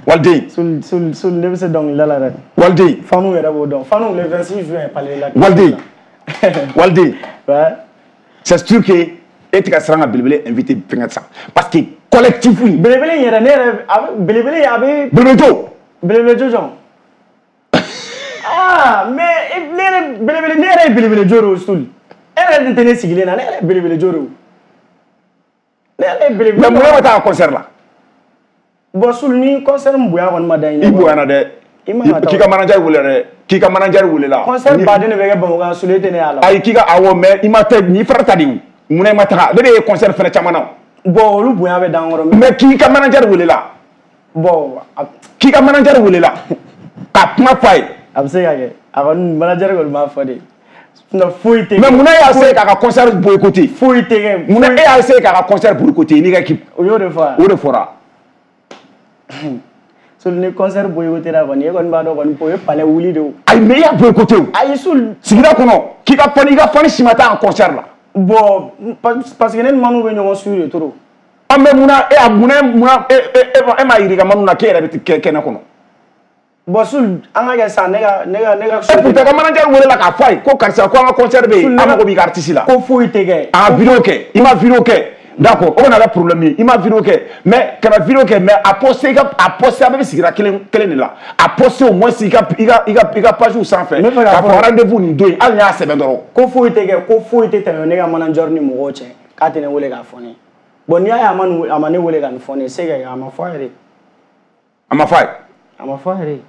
Waliden. Soul, Soul, Soul, ne bɛ se dɔnkilida la dɛ. Waliden. Fanu yɛrɛ b'o dɔn. Fanu, le vingt-six juin, palais de la. Waliden. Waliden. Ouais. C'est sûr que e tɛ ka siran ka belebele invité fɛngɛ sa, parce que collectif in. Belebele in yɛrɛ, ne yɛrɛ a bɛ belebele a bɛ. Belebele jo. Belebele jo jɔn? Ah, mais ne yɛrɛ belebele, ne yɛrɛ ye belebele jo de o, Soul. E yɛrɛ dun tɛ ne sigilen na, ne yɛrɛ ye belebele jo de o. Ne yɛrɛ ye belebele. Mais mun na ma taa concert la? Bon, Soul, ni concert min bonya kɔni ma da i ɲɛ. I bonyana dɛ. I man ka taa. K'i ka manager wele dɛ. K'i ka manager wele la. Concert baden de bɛ kɛ Bamakɔ yan, Soul, e tɛ ne y'a la. Ayi, k'i ka awɔ, mais i ma taa n'i frère ta de o. Munna i ma taga? Ne de ye concert fɛnɛ caman na. Bon, olu bonya bɛ d'an kɔrɔ. Mais k'i ka manager wele la. Bon. K'i ka manager wele la. Ka kuma f'a ye. A bɛ se ka kɛ. A kɔni manager kɔni b'a fɔ de. Sinon foyi tɛ kɛ. Mais munna e y'a essayé k'a ka concert boycotter? Foyi tɛ kɛ. Munna e y'a essayé k'a ka concert boycotter n'i ka équipe? O y'o de fɔ wa? O de fɔra. Soul, ni concert boycotter la kɔni, e kɔni b'a dɔn kɔni o ye palais wuli de o. Ayi, mais i y'a boycotter o. Ayi, Soul. Sigida kɔnɔ k'i ka fan, i ka fan si ma taa en concert la. Bon, parce que ne ni Manu bɛ ɲɔgɔn suivre de trop. An bɛ munna e a munna munna e e e m'a yir'i ka Manu na k'e yɛrɛ bɛ kɛ kɛnɛ kɔnɔ? Bon, Soul, an ka kɛ sisan, ne ka ne ka ne ka. E pourtant ka manager wele la k'a fɔ a ye ko karisa, ko an ka concert bɛ yen, an mago b'i ka artiste la. Ko foyi tɛ kɛ. A vidéo kɛ, i ma vidéo kɛ. D'accord, o kana kɛ problème ye, i ma vidéo kɛ, mais kana vidéo kɛ, mais a poster i ka a poster, a bɛɛ bɛ sigida kelen kelen de la. A poster au moins i ka i ka i ka i ka page sanfɛ. K'a fɔ rendez-vous nin don in, hali n'i y'a sɛbɛn dɔrɔn. Ko foyi tɛ kɛ, ko foyi tɛ tɛmɛ ne ka manager ni mɔgɔw cɛ k'a tɛ ne wele k'a fɔ ne ye. Bon, n'i y'a ye a ma nin a ma ne wele ka nin fɔ ne ye, c'est que a ma fɔ a yɛrɛ ye. A ma fɔ a ye. A ma fɔ a yɛrɛ ye.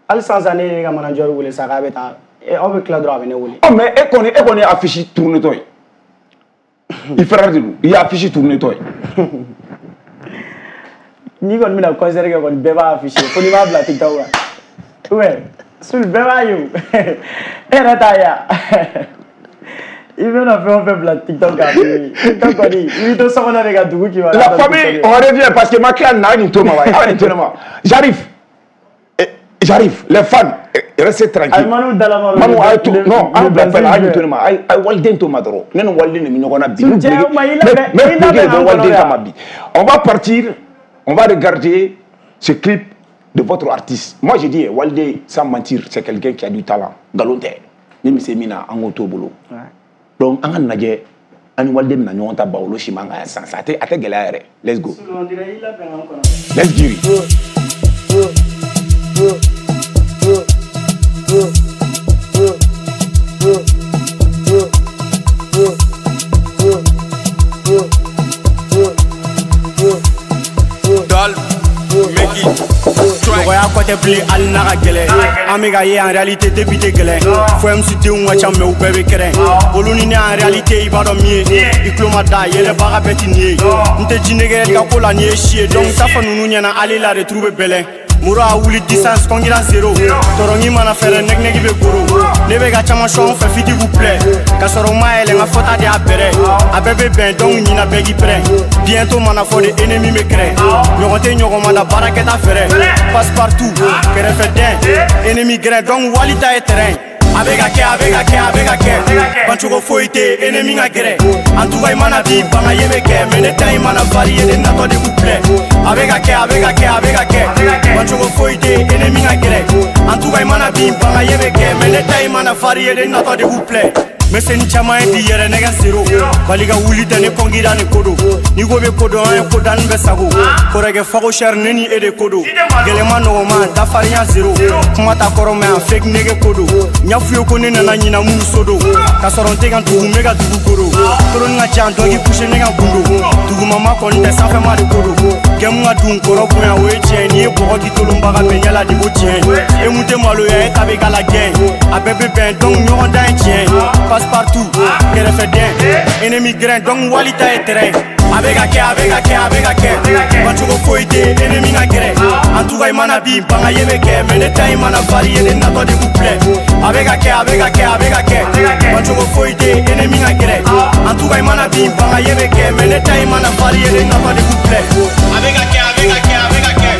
Hali sisan sisan ne ye ne ka manager wele sisan k'a bɛ taa, aw bɛ tila dɔrɔn a bɛ ne wele. Ɔ, mais e kɔni e kɔni ye affiche tourner tɔ ye. I frère de don, i ye affiche tourner tɔ ye. N'i kɔni bɛna concert kɛ kɔni, bɛɛ b'a afficher fo n'i b'a bila TikTok kan. Ou bien Soul, bɛɛ b'a ye o. E yɛrɛ t'a ye wa? I bɛna fɛn o fɛn bila TikTok kan, TikTok kɔni, i b'i to so kɔnɔ de ka dugu kibaruya. La famille, on revient parce que ma tila nin na, a ye nin to ma wa, a ye nin to ne ma. J'arrive. J'arrive, les fans, restez tranquilles. Manu Dalama. Manu, a ye to, non, an bila fɛn la, a ye nin to ne ma, a ye waliden to ma dɔrɔn. Ne ni waliden de bɛ ɲɔgɔn na bi. Ne bɛ bɔ waliden kama bi. On va partir, on va regarder ce clip de votre artiste. Moi, je dis, Walde, sans mentir, c'est quelqu'un qui a du talent. Nkalon tɛ. Ni min se min na, an k'o t'o bolo. Donc, an ka lajɛ, an ni Walde bɛna ɲɔgɔn ta Bawolo siman kan yan sisan. A tɛ a tɛ gɛlɛya yɛrɛ. Let's go. Let's get it. Nɔgɔya kɔ tɛ bilen hali n'a ka gɛlɛn. An bɛ ka ye en réalité depuis tɛ gɛlɛn. Fo M C denw ka ca mais u bɛɛ bɛ kɛrɛn. Olu ni ne en réalité i b'a dɔn min ye. I tulo ma da yɛlɛbaga bɛɛ ti nin ye. N tɛ jinɛgɛ ka ko la nin ye si ye. Donc t'a fɔ ninnu ɲɛna hali la de turu bɛ bɛlɛn. Moro a wuli distance concurrence zéro. Tɔrɔngi mana fɛrɛ nɛgɛnɛgi bɛ goro. Ne bɛ ka caman sɔn fɛ fiti vous plaît. Ka sɔrɔ n ma yɛlɛ n ka fɔta de y'a bɛrɛ. A bɛɛ bɛ bɛn donc ɲina bɛɛ k'i pɛrɛn. Bientôt mana fɔ de ennemi bɛ kɛrɛ. Ɲɔgɔn tɛ ɲɔgɔn ma da baarakɛta fɛrɛ. Passe partout kɛrɛfɛ dɛn. Ennemi gɛrɛ donc wali ta ye terrain. A bɛ ka kɛ, a bɛ ka kɛ, a bɛ ka kɛ. Bancogo foyi tɛ ennemi ka gɛrɛ. En tout cas i mana bi banga ye bɛ kɛ. Mais ne ta in mana varier ne natɔ de vous plaît. A bɛ ka kɛ, a bɛ ka kɛ, a bɛ ka kɛ. Bancogo foyi tɛ ennemi ka gɛrɛ. En tout cas i mana bi banga ye bɛ kɛ. Mais ne ta in mana varier ne natɔ de vous plaît. Mais c'est ni caman ye bi yɛrɛ nɛgɛ zéro. Bali ka wuli tɛ ne kɔngira ni ko don. N'i ko bɛ ko dɔn an ye ko danni bɛ sago. Kɔrɔkɛ fago cher ne ni e de ko don. Gɛlɛma nɔgɔma dafarinya zéro. Kuma ta kɔrɔ mais an fake nege ko don. N y'a f'u ye ko ne nana ɲina minnu so don. Ka sɔrɔ n tɛ ka dugu n bɛ ka dugu koro. Toloni ka ca dɔ k'i couché ne ka gundo. Dugumama kɔni tɛ sanfɛma de ko don. Gɛmu ka dun kɔrɔ bonya o ye tiɲɛ. N'i ye bɔgɔ di tolonbaga bɛɛ ɲɛ la de ko tiɲɛ. E mun tɛ maloya e ta bɛ k'a la gɛn. A bɛɛ bɛ bɛn donc ɲɔgɔn dan ye tiɲɛ. Passe partout, kɛrɛfɛden, ennemi grain, donc wali ta ye terrain. A bɛ ka kɛ, a bɛ ka kɛ, a bɛ ka kɛ. Bancogo foyi tɛ yen, ennemi ka gɛrɛ. En tout cas i mana bin, banga ye bɛ kɛ. Mais ne ta in mana varier, ne natɔ de vous plaît. A bɛ ka kɛ, a bɛ ka kɛ, a bɛ ka kɛ. Bancogo foyi tɛ yen, ennemi ka gɛrɛ. En tout cas i mana bin, banga ye bɛ kɛ. Mais ne ta in mana varier, ne natɔ de vous plaît. A bɛ ka kɛ, a bɛ ka kɛ, a bɛ ka kɛ.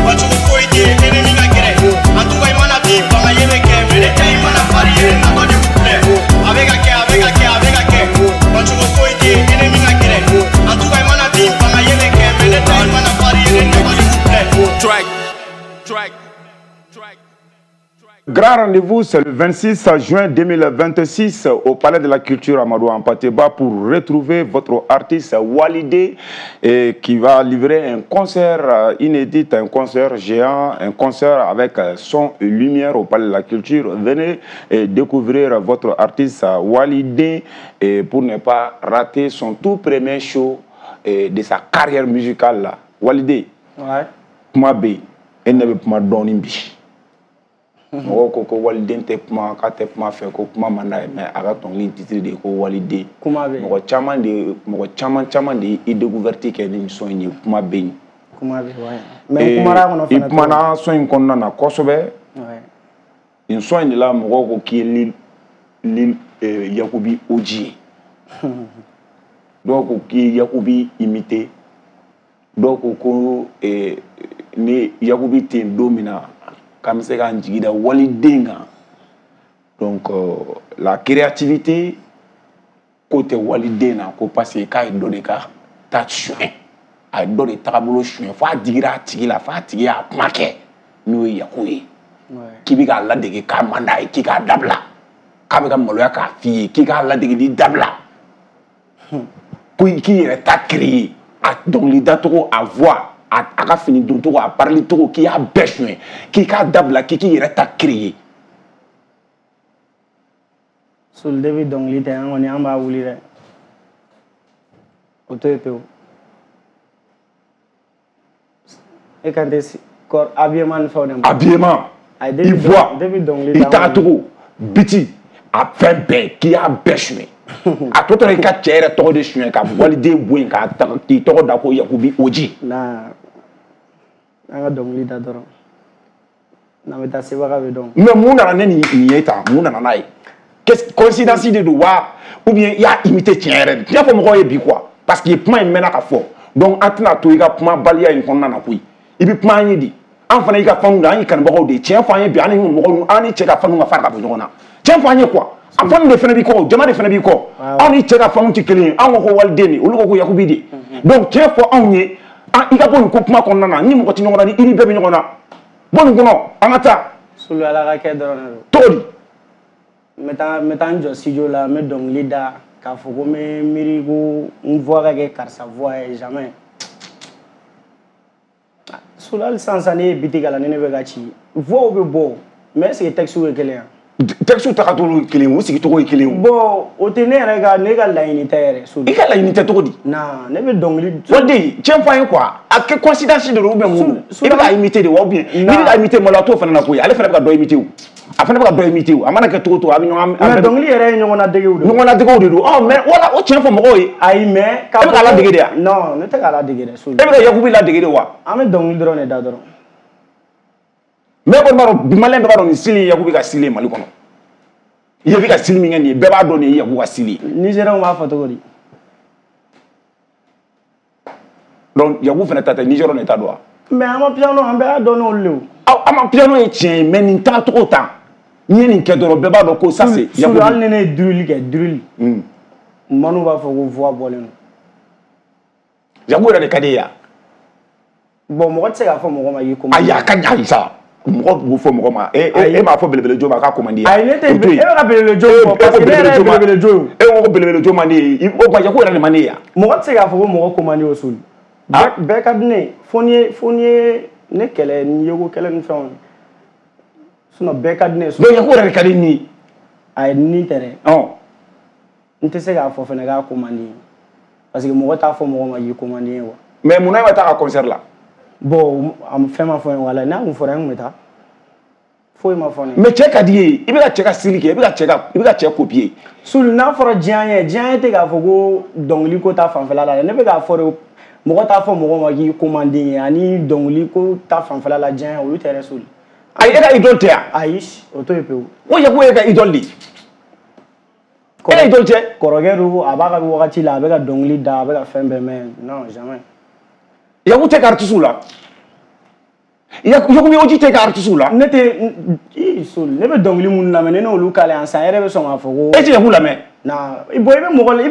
Bancogo foyi tɛ yen, ennemi ka gɛrɛ. En tout cas i mana bin, banga ye bɛ kɛ. Mais ne ta in mana varier, ne natɔ de vous plaît. A bɛ ka kɛ, a bɛ ka kɛ, a bɛ ka kɛ. Bancogo foyi tɛ yen, ennemi ka gɛrɛ. En tout cas i mana bin, banga ye bɛ kɛ. Mais ne ta in mana varier, ne natɔ de vous plaît. Track. Track. Track. Grand rendez-vous, c'est le vingt-six juin deux mille vingt-six au Palais de la Culture Amadou Hampâté Bâ pour retrouver votre artiste Walidé et qui va livrer un concert inédit, un concert géant, un concert avec son et lumière au Palais de la Culture. Venez et découvrir votre artiste Walidé et pour ne pas rater son tout premier show de sa carrière musicale. Walidé, ouais. Kuma bɛ yen, e ne bɛ kuma dɔɔnin bi. Mɔgɔw ko ko waliden tɛ kuma, k'a tɛ kuma fɛ, ko kuma man d'a ye, mais a ka dɔnkili titre de ye ko waliden. Kuma bɛ yen. Mɔgɔ caman de, mɔgɔ caman caman de ye i découverte kɛ ni son in ye, kuma bɛ yen. Kuma bɛ yen, ouais. Mais n kumana a kɔnɔ fana. I kumana son in kɔnɔna na kosɛbɛ. Ouais. Nin son in de la mɔgɔw ko k'i ye Lil Lil Yakubi O G ye. Dɔw ko k'i ye Yakubi imité. Dɔw ko ko ni Yakubi tɛ yen don min na, k'an bɛ se k'an jigi da waliden kan. Donc euh, la créativité ko tɛ waliden na, ko parce que k'a ye dɔ de ka ta suɲɛ, a ye dɔ de tagabolo suɲɛ, f'a digira a tigi la, f'a tigi y'a kuma kɛ n'o ye Yaku ye. K'i bɛ k'a ladege k'a man d'a ye, k'i k'a dabila, k'a bɛ ka maloya k'a f'i ye, k'i k'a ladege dabila, ko k'i yɛrɛ ta créer, a dɔnkilidacogo, a voix, a ka fini doncogo, a parili cogo, k'i y'a bɛɛ suɲɛ, k'i k'a dabila, k'i k'i yɛrɛ ta créer. Solide bɛ dɔnkili tɛ, an kɔni an b'a wuli dɛ. O to yen pewu. E kan tɛ corps habillement ni fɛnw de ma. Habillement, i voix, i tagacogo, biti, a fɛn bɛɛ, k'i y'a bɛɛ suɲɛ. A tɔ tora i ka cɛ yɛrɛ tɔgɔ de suɲɛ ka waliden bɔ yen k'a k'i tɔgɔ da ko Yakubi O G. Na an ka dɔnkili da dɔrɔn. N'an bɛ taa sebaga bɛ dɔn. Mais mun nana ne nin ye tan, mun nana n'a ye? Qu'est-ce coïncidence de don wa, ou bien i y'a imité tiɲɛ yɛrɛ de? Tiɲɛ fɔ mɔgɔw ye bi quoi, parce que kuma in mɛnna ka fɔ, donc an tɛna to i ka kumabaliya in kɔnɔna na koyi. I bɛ kuma an ye de, an fana y'i ka fanu de, an y'i kanubagaw de ye. Tiɲɛ fɔ an ye bi, an ni mɔgɔw, an ni cɛ ka fanu ka fara ka bɔ ɲɔgɔn na. Tiɲɛ fɔ an ye quoi. A fanu de fana b'i kɔ, jama de fana b'i kɔ. Anw ni cɛ ka fanu tɛ kelen ye, anw ko ko waliden de, olu ko ko Yakubi de. Donc tiɲɛ fɔ anw ye, i ka bɔ nin ko kuma kɔnɔna na, ni mɔgɔ tɛ ɲɔgɔn na, ni i ni bɛɛ bɛ ɲɔgɔn na. Bɔ nin kɔnɔ, an ka taa. Sulu Ala ka kɛ dɔrɔn de don. Cogo di? N bɛ taa n bɛ taa n jɔ studio la, n bɛ dɔnkili da k'a fɔ ko n bɛ miiri ko n voix ka kɛ karisa voix ye, jamais. Sulu hali sisan sisan ne ye biti kalan ni ne bɛ ka ci, voix bɛ bɔ, mais est ce que texte ye kelen ye? Texte tagacogo ye kelen ye, u sigicogo ye kelen ye. Bon, o tɛ ne yɛrɛ ka ne ka laɲini tɛ yɛrɛ. Sulu. I ka laɲini tɛ cogo di? Non, ne bɛ dɔnkili. Waliden, tiɲɛ fɔ an ye quoi, a kɛ coïncidence de don ou bien mun don? I bɛ ka imiter de wa ou bien n'i bɛ ka imiter maloya t'o fana na koyi, ale fana bɛ ka dɔ imiter o. A fana bɛ ka dɔ imiter o, a mana kɛ cogo o cogo a bɛ ɲɔgɔn. Mais dɔnkili yɛrɛ ye ɲɔgɔnnadegew de ye. Ɲɔgɔnnadegew de don, ɔ mais wala o tiɲɛ fɔ mɔgɔw ye. Ayi mais. E bɛ ka ladege de wa? Non, ne tɛ k'a ladege dɛ. Sulu. E bɛ ka Yakubi ladege de wa? An bɛ dɔnkili dɔrɔn de da dɔrɔn. Mais kɔni b'a dɔn, maliyɛn bɛɛ b'a dɔn nin style ye Yakubi ka style ye Mali kɔnɔ. I bɛ ka style min kɛ nin ye, bɛɛ b'a dɔn nin ye Yakubi ka style ye. Nigériens b'a fɔ cogo di? Donc Yaku fana ta tɛ, Nigériens de ta don wa? Mais amapiano an bɛɛ y'a dɔn n'olu de ye o. Aw amapiano ye tiɲɛ ye, mais nin tagacogo tan, n'i ye nin kɛ dɔrɔn bɛɛ b'a dɔn ko ça c'est Yakubi. Sulu hali ni ne ye drill kɛ, drill. Manu b'a fɔ ko voix bɔlen don. Yaku yɛrɛ de ka di e ye wa? Bon, mɔgɔ tɛ se k'a fɔ mɔgɔ ma k'i ko. Ayi, a ka ɲi ayi sa. Mɔgɔ b'o fɔ mɔgɔ ma, e e m'a fɔ belebele jo ma k'a ko man di ye. Ayi, ne tɛ, e bɛ ka belebele jo fɔ parce que ne yɛrɛ ye belebele jo ye. E ko ko belebele jo man di ye, o tuma Yaku yɛrɛ de man di ye wa? Mɔgɔ tɛ se k'a fɔ ko mɔgɔ ko man di o Sulu. Bɛɛ ka di ne ye, fo n'i ye fo n'i ye ne kɛlɛ ni yeko kɛlɛ ni fɛnw ye. Sinon bɛɛ ka di ne ye. Donc Yaku yɛrɛ de ka di ni ye. Ayi, ni tɛ dɛ. Ɔn. N tɛ se k'a fɔ fɛnɛ k'a ko man di ye. Parce que mɔgɔ t'a fɔ mɔgɔ ma k'i ko man di ye quoi. Mais munna e ma taa a ka concert la? Bon, a fɛn ma fɔ n ye wala n'a kun fɔra n kun bɛ taa. Foyi ma fɔ ne. Mais cɛ ka di ye, i bɛ ka cɛ ka style kɛ, i bɛ ka cɛ ka i bɛ ka cɛ copier. Sulu, n'a fɔra diya ye, diya ye tɛ k'a fɔ ko dɔnkili ko ta fanfɛla la dɛ. Ne bɛ k'a fɔ de, mɔgɔ t'a fɔ mɔgɔ ma k'i ko man di ye, ani dɔnkili ko ta fanfɛla la, diya ye, olu tɛ yɛrɛ, Sulu. Ayi, e ka idole tɛ yan? Ayi, o to yen pewu. O Yaku ye ka idole de ye. E ka idole tɛ? Kɔrɔkɛ don, a b'a ka wagati la, a bɛ ka dɔnkili da, a bɛ ka fɛn bɛɛ, mais non, jamais. Yaku tɛ ka artiste la? Yaku Oji tɛ ka artiste la? Ne tɛ i Sulu, ne bɛ dɔnkili minnu lamɛn, ne n'olu k'ale yan sisan, e yɛrɛ bɛ sɔn k'a fɔ ko. E tɛ Yaku lamɛn? Na, bon, i bɛ mɔgɔ,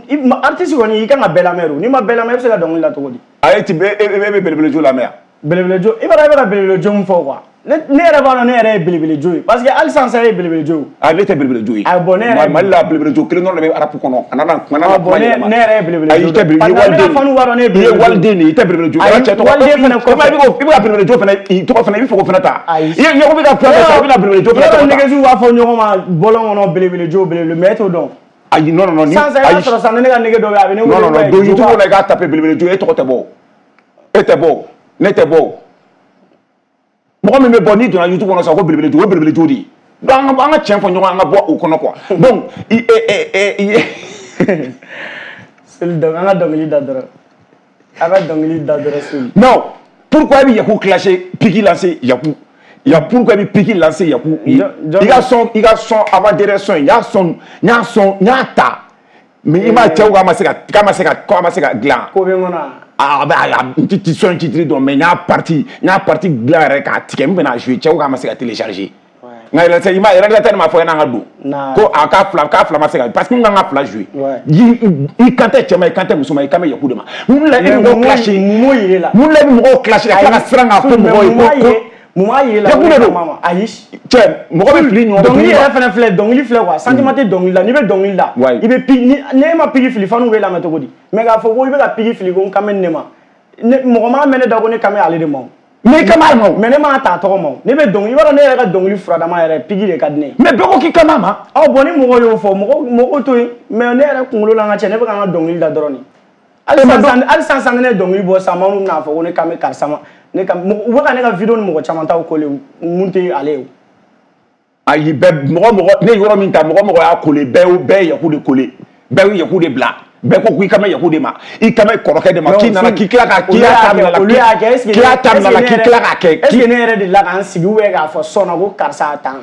i bɛ artiste kɔni, i kan ka bɛɛ lamɛn o. N'i ma bɛɛ lamɛn, e bɛ se ka dɔnkili da cogo di? Ayi, ti e bɛ belebele jo lamɛn yan? Belebele jo, i b'a dɔn e bɛ ka belebele jo min fɔ quoi. Ne ne yɛrɛ b'a dɔn ne yɛrɛ ye belebele jo ye, parce que hali sisan e ye belebele jo ye. Ah, ne tɛ belebele jo ye. Ah bon, ne yɛrɛ. Mali la, belebele jo kelen dɔrɔn de bɛ rap kɔnɔ. A nana a nana kuma yɛlɛma. Ne yɛrɛ ye belebele jo. Ayi, i tɛ belebele, i ye waliden. I ye waliden de ye, i tɛ belebele jo. Ayi, waliden fana kɔfɛ. I bɛ ka belebele jo fana, i tɔgɔ fana, i bɛ fɛ k'o fana ta. Ayi. I ye Yaku bɛ ka fɛn bɛɛ ta, i bɛna belebele jo fana tɔgɔ ta. Yɔrɔ nɛgɛsiw b'a fɔ ɲɔgɔn ma bɔlɔn kɔnɔ, belebele jo, belebele, mais e t'o dɔn. Ayi, non non non. Sisan i b'a sɔrɔ sisan ne ka nɛgɛ dɔ bɛ yen, a bɛ ne wele. Non non non, don YouTube la, i k'a taper belebele jo, e tɔgɔ tɛ bɔ. E tɛ bɔ, ne tɛ bɔ. Mɔgɔ min bɛ bɔ n'i donna YouTube kɔnɔ sisan ko belebele jo, o ye belebele jo de ye. Donc an ka an ka tiɲɛ fɔ ɲɔgɔn ye, an ka bɔ o kɔnɔ quoi. Donc i e e e. Sulu, donc an ka dɔnkili da dɔrɔn. An ka dɔnkili da dɔrɔn, Sulu. Non, pourquoi i bɛ Yaku clasher, pique lancer Yaku? Ya pourquoi i bɛ pique lancer Yaku? I ka son, i ka son avant dernier son, n y'a son, n y'a son, n y'a ta. Mais i m'a cɛw k'a ma se ka k'a ma se ka k'a ma se ka dilan. Ko bɛ n kɔnɔ. Ah bah, n ti son titre dɔn, mais n y'a partie n y'a partie dilan yɛrɛ k'a tigɛ, n bɛna jouer, cɛw k'a ma se ka télécharger. Nka yɛrɛ i ma réalisateur m'a fɔ ɲɛna an ka don. Ko a k'a fila k'a fila ma se ka, parce que n kan ka fila jouer. I kan tɛ cɛ ma, i kan tɛ muso ma, i kan bɛ Yaku de ma. Mun la e bɛ mɔgɔw clasher? Mun yir'e la? Mun la e bɛ mɔgɔw clasher ka tila ka siran k'a fɔ mɔgɔw ye ko ko. Mun b'a yir'e la? Yaku de don. Ayi. Cɛ, mɔgɔ bɛ fili ɲɔgɔn. Dɔnkili yɛrɛ fana filɛ, dɔnkili filɛ quoi, sentiment tɛ dɔnkili la. N'i bɛ dɔnkili da, i bɛ pique, ni e ma pique fili, fanu b'e lamɛn cogo di? Mais k'a fɔ ko i bɛ ka pique fili ko n kan bɛ nin de ma. Mɔgɔ m'a mɛn ne da ko ne kan bɛ ale de ma o. Mais i kan b'a ma o. Mais ne m'a ta a tɔgɔ ma o. Ne bɛ dɔnkili, i b'a dɔn ne yɛrɛ ka dɔnkili furadama yɛrɛ, pique de ka di ne ye. Mais bɛɛ ko k'i kan b'a ma. Ɔ bon, ni mɔgɔw y'o fɔ, mɔgɔw mɔgɔw to yen. Mais ne yɛrɛ kunkolo la, n ka cɛ, ne bɛ ka n ka dɔnkili da dɔrɔn de. Hali sisan hali sisan ne ye dɔnkili bɔ sisan, minnu bɛna fɔ ko ne kan bɛ karisa ma. Ne ka u bɛ ka ne ka vidéo ni mɔgɔ caman taw coller, mun tɛ ale ye o. Ayi, bɛɛ mɔgɔ mɔgɔ ne ye yɔrɔ min ta, mɔgɔ mɔgɔ y'a coller, bɛɛ bɛɛ ye Yaku de coller, bɛɛ ye Yaku de bila. Bɛɛ ko k'i kan bɛ Yaku de ma, i kan bɛ kɔrɔkɛ de ma, k'i nana k'i tila ka k'i y'a ta minɛ la, olu y'a kɛ, est-ce que k'i y'a ta minɛ la, k'i tila k'a kɛ. Est-ce que ne yɛrɛ de la k'an sigi ou bien k'a fɔ sɔn na ko karisa a tan.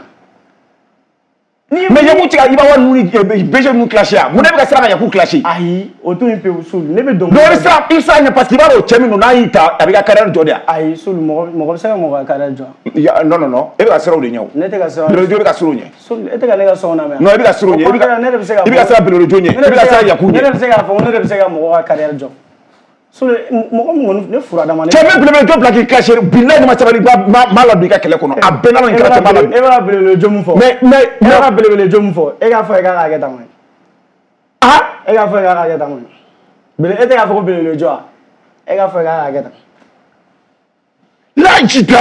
Mais Yaku tigɛ i b'a wari ninnu ni B G ninnu clasher yan, mun ne bɛ ka siran ka Yaku clasher? Ayi, o to yen pewu, Sulu, ne bɛ dɔnkili. Non, i bɛ siran, i bɛ siran ɲɛ parce que i b'a dɔn o cɛ min don, n'a y'i ta, a b'i ka carrière jɔ de yan. Ayi, Sulu, mɔgɔ mɔgɔ bɛ se ka mɔgɔ ka carrière jɔ. Non non non, e bɛ ka siran o de ɲɛ o. Ne tɛ ka siran. Belebele bɛ ka siran o ɲɛ. Sulu, e tɛ ka ne ka son lamɛn. Non, e bɛ ka siran o ɲɛ. Au contraire, ne de bɛ se ka. I bɛ ka siran belebele ɲɛ, i bɛ ka siran Yaku ɲɛ. Ne de bɛ se k'a fɔ ko ne de bɛ se ka mɔgɔ ka carrière jɔ. Sulu, mɔgɔ min kɔni ne furadama. Cɛ bɛ belebele jɔ bila k'i clasher, bilahi ni ma sabali, ma ma ladon i ka kɛlɛ kɔnɔ, a bɛɛ n'a nin kɛra cɛ ma ladon. E bɛ ka belebele jo min fɔ. Mais mais e bɛ ka belebele jo min fɔ, e k'a fɔ e k'a k'a kɛ tan kɔni. Ah, e k'a fɔ e k'a k'a kɛ tan kɔni. Bele e tɛ k'a fɔ ko belebele jɔ wa? E k'a fɔ e k'a k'a kɛ tan. Lajida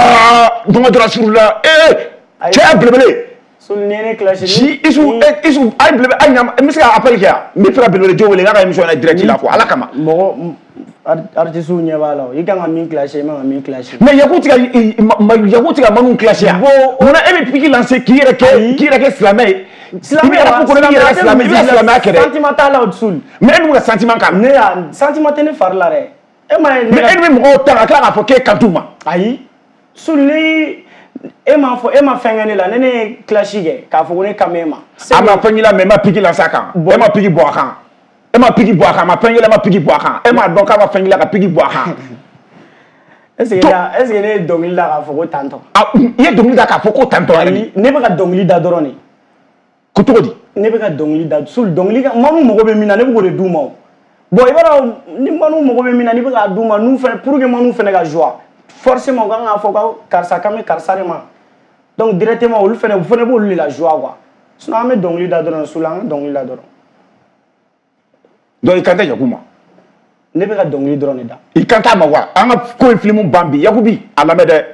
dɔgɔ dɔrɔn suru la, ee cɛ belebele. Sulu, ni ye ne clasher. Si Isu Isu a ye belebele a ɲa, n bɛ se ka appel kɛ yan, n bɛ fɛ ka belebele jo wele n k'a ka émission na direct la quoi, Ala kama. Mɔgɔ artiste ɲɛ b'a la o, i kan ka min clasher, i man ka min clasher. Mais Yaku tɛ ka Yaku tɛ ka Manu clasher yan. Munna e bɛ pique lancer k'i yɛrɛ kɛ k'i yɛrɛ kɛ silamɛ ye? Silamɛ i bɛ rap kɔnɔ, i b'i yɛrɛ kɛ silamɛ, i bɛ ka silamɛya kɛ dɛ. Sentiment t'a la o, Sulu. Mais e dun bɛ ka sentiment k'a la. Ne y'a sentiment tɛ ne fari la dɛ. E ma ye. Mais e dun bɛ mɔgɔw ta ka tila k'a fɔ k'e kan t'u ma. Ayi, Sulu, ni e m'a fɔ, e ma fɛn kɛ ne la, ne ne ye clash kɛ k'a fɔ ko ne kan bɛ e ma. A ma fɛn k'i la, mais e ma pique lancer a kan. E ma pique bɔ a kan. E ma pique bɔ a kan, a ma fɛn k'i la, e ma pique bɔ a kan. E m'a dɔn k'a ma fɛn k'i la ka pique bɔ a kan. Est-ce que est-ce que ne ye dɔnkili da k'a fɔ ko tantɔ? Ah, i ye dɔnkili da k'a fɔ ko tantɔ yɛrɛ de. Ne bɛ ka dɔnkili da dɔrɔn de. Ko cogo di? Ne bɛ ka dɔnkili da, Sulu, dɔnkili ka Manu mago bɛ min na, ne bɛ k'o de d'u ma o. Bon, i b'a dɔn ni Manu mago bɛ min na, n'i bɛ k'a d'u ma, n'u fɛnɛ pour que Manu fɛnɛ ka joie, forcément u kan k'a fɔ ko karisa kan bɛ karisa de ma. Donc directement olu fɛnɛ u fɛnɛ b'olu de la joie quoi. Sinon an bɛ dɔnkili da dɔrɔn, Sulu, an ka dɔnkili da dɔrɔn. Donc i kan tɛ Yaku ma? Ne bɛ ka dɔnkili dɔrɔn de da. I kan t'a ma wa? An ka ko in filimu ban bi, Yaku bi a lamɛn dɛ.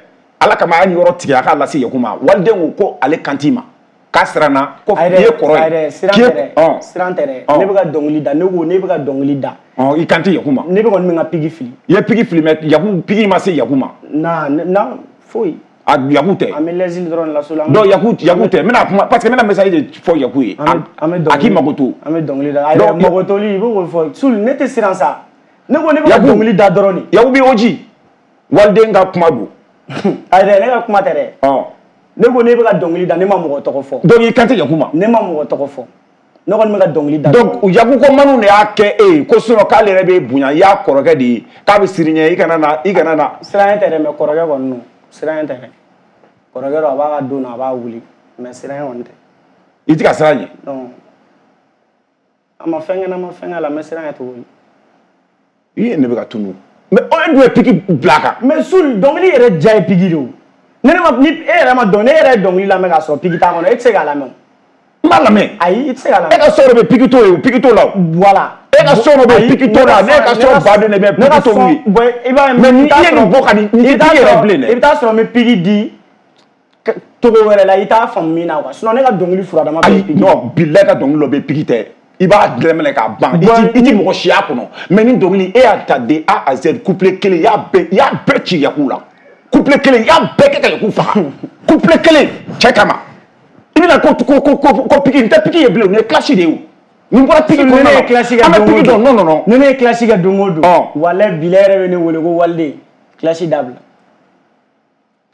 Ala kama a ye nin yɔrɔ tigɛ a k'a lase Yaku ma. Waliden ko ko ale kan t'i ma. K'a siranna ko i ye kɔrɔ ye. Ayi dɛ, siran tɛ dɛ. Siran tɛ dɛ. Ne bɛ ka dɔnkili da, ne ko ne bɛ ka dɔnkili da. Ɔ, i kan tɛ Yaku ma. Ne bɛ kɔni bɛ n ka pique fili. I ye pique fili, mais Yaku pique ma se Yaku ma. Na na foyi. A Yaku tɛ. An bɛ lɛsili dɔrɔn de la so la. Donc Yaku Yaku tɛ n bɛna kuma parce que n bɛna message de fɔ Yaku ye. An bɛ a k'i mago to. An bɛ dɔnkili da. Ayi magotoli i b'o fɔ Sul ne tɛ siran sa. Ne ko ne bɛ ka dɔnkili da dɔrɔn de. Yaku b'i oji waliden ka kuma don. Ayi dɛ ne ka kuma tɛ dɛ. Ne ko ne bɛ ka dɔnkili da ne ma mɔgɔ tɔgɔ fɔ. Donc i kan tɛ Yaku ma. Ne ma mɔgɔ tɔgɔ fɔ. Ne kɔni bɛ ka dɔnkili da. Donc Yaku ko Manu de y'a kɛ e ye ko sinon k'ale yɛrɛ b'e bonya i y'a kɔrɔkɛ de ye k'a bɛ siran ɲɛ i kana na i kana na. Siran tɛ dɛ mais kɔrɔkɛ kɔni don siran tɛ dɛ. Kɔrɔkɛ don a b'a ka don na a b'a wuli mais siran kɔni tɛ. I tɛ ka siran ɲɛ. Non a ma fɛn kɛ n na ma fɛn kɛ la n bɛ siran ɲɛ cogo di. I ye ne bɛ ka tunu mais e dun ye piki bila a kan. Mais Sul dɔnkili yɛrɛ diya ye piki de o. Ne ne ma ni e yɛrɛ ma dɔn ne yɛrɛ ye dɔnkili lamɛn k'a sɔrɔ piki t'a kɔnɔ e tɛ se k'a lamɛn o. N b'a lamɛn. Ayi i tɛ se k'a lamɛn. E ka so dɔ bɛ piki t'o ye o piki t'o la o. Voilà. E ka so dɔ bɛ piki t'o la ne ka so baden de bɛ piki t'o ye. Bon i b'a ye mais ni i ye nin bɔ ka nin nin tɛ piki yɛrɛ bilen dɛ. I bɛ taa sɔrɔ n bɛ piki di togo wɛrɛ la i t'a faamu min na quoi sinon ne ka dɔnkili furadama bɛ piki. Non bilahi ka dɔnkili dɔ bɛ piki tɛ. I b'a dɛmɛ k'a ban i ti mɔgɔ si y'a kɔnɔ mais ni dɔnkili e y'a ta de A à Z couplet kelen i y'a bɛɛ i y'a bɛɛ ci Yaku la couplet kelen i y'a bɛɛ kɛ ka Yaku faga couplet kelen cɛ kama i bɛna ko ko ko ko ko piki n tɛ piki ye bilen nin ye clash de ye o nin bɔra piki kɔnɔna la an bɛ piki dɔn non non non ni ne ye clash kɛ don o don walayi bilahi yɛrɛ bɛ ne wele ko waliden clash dabila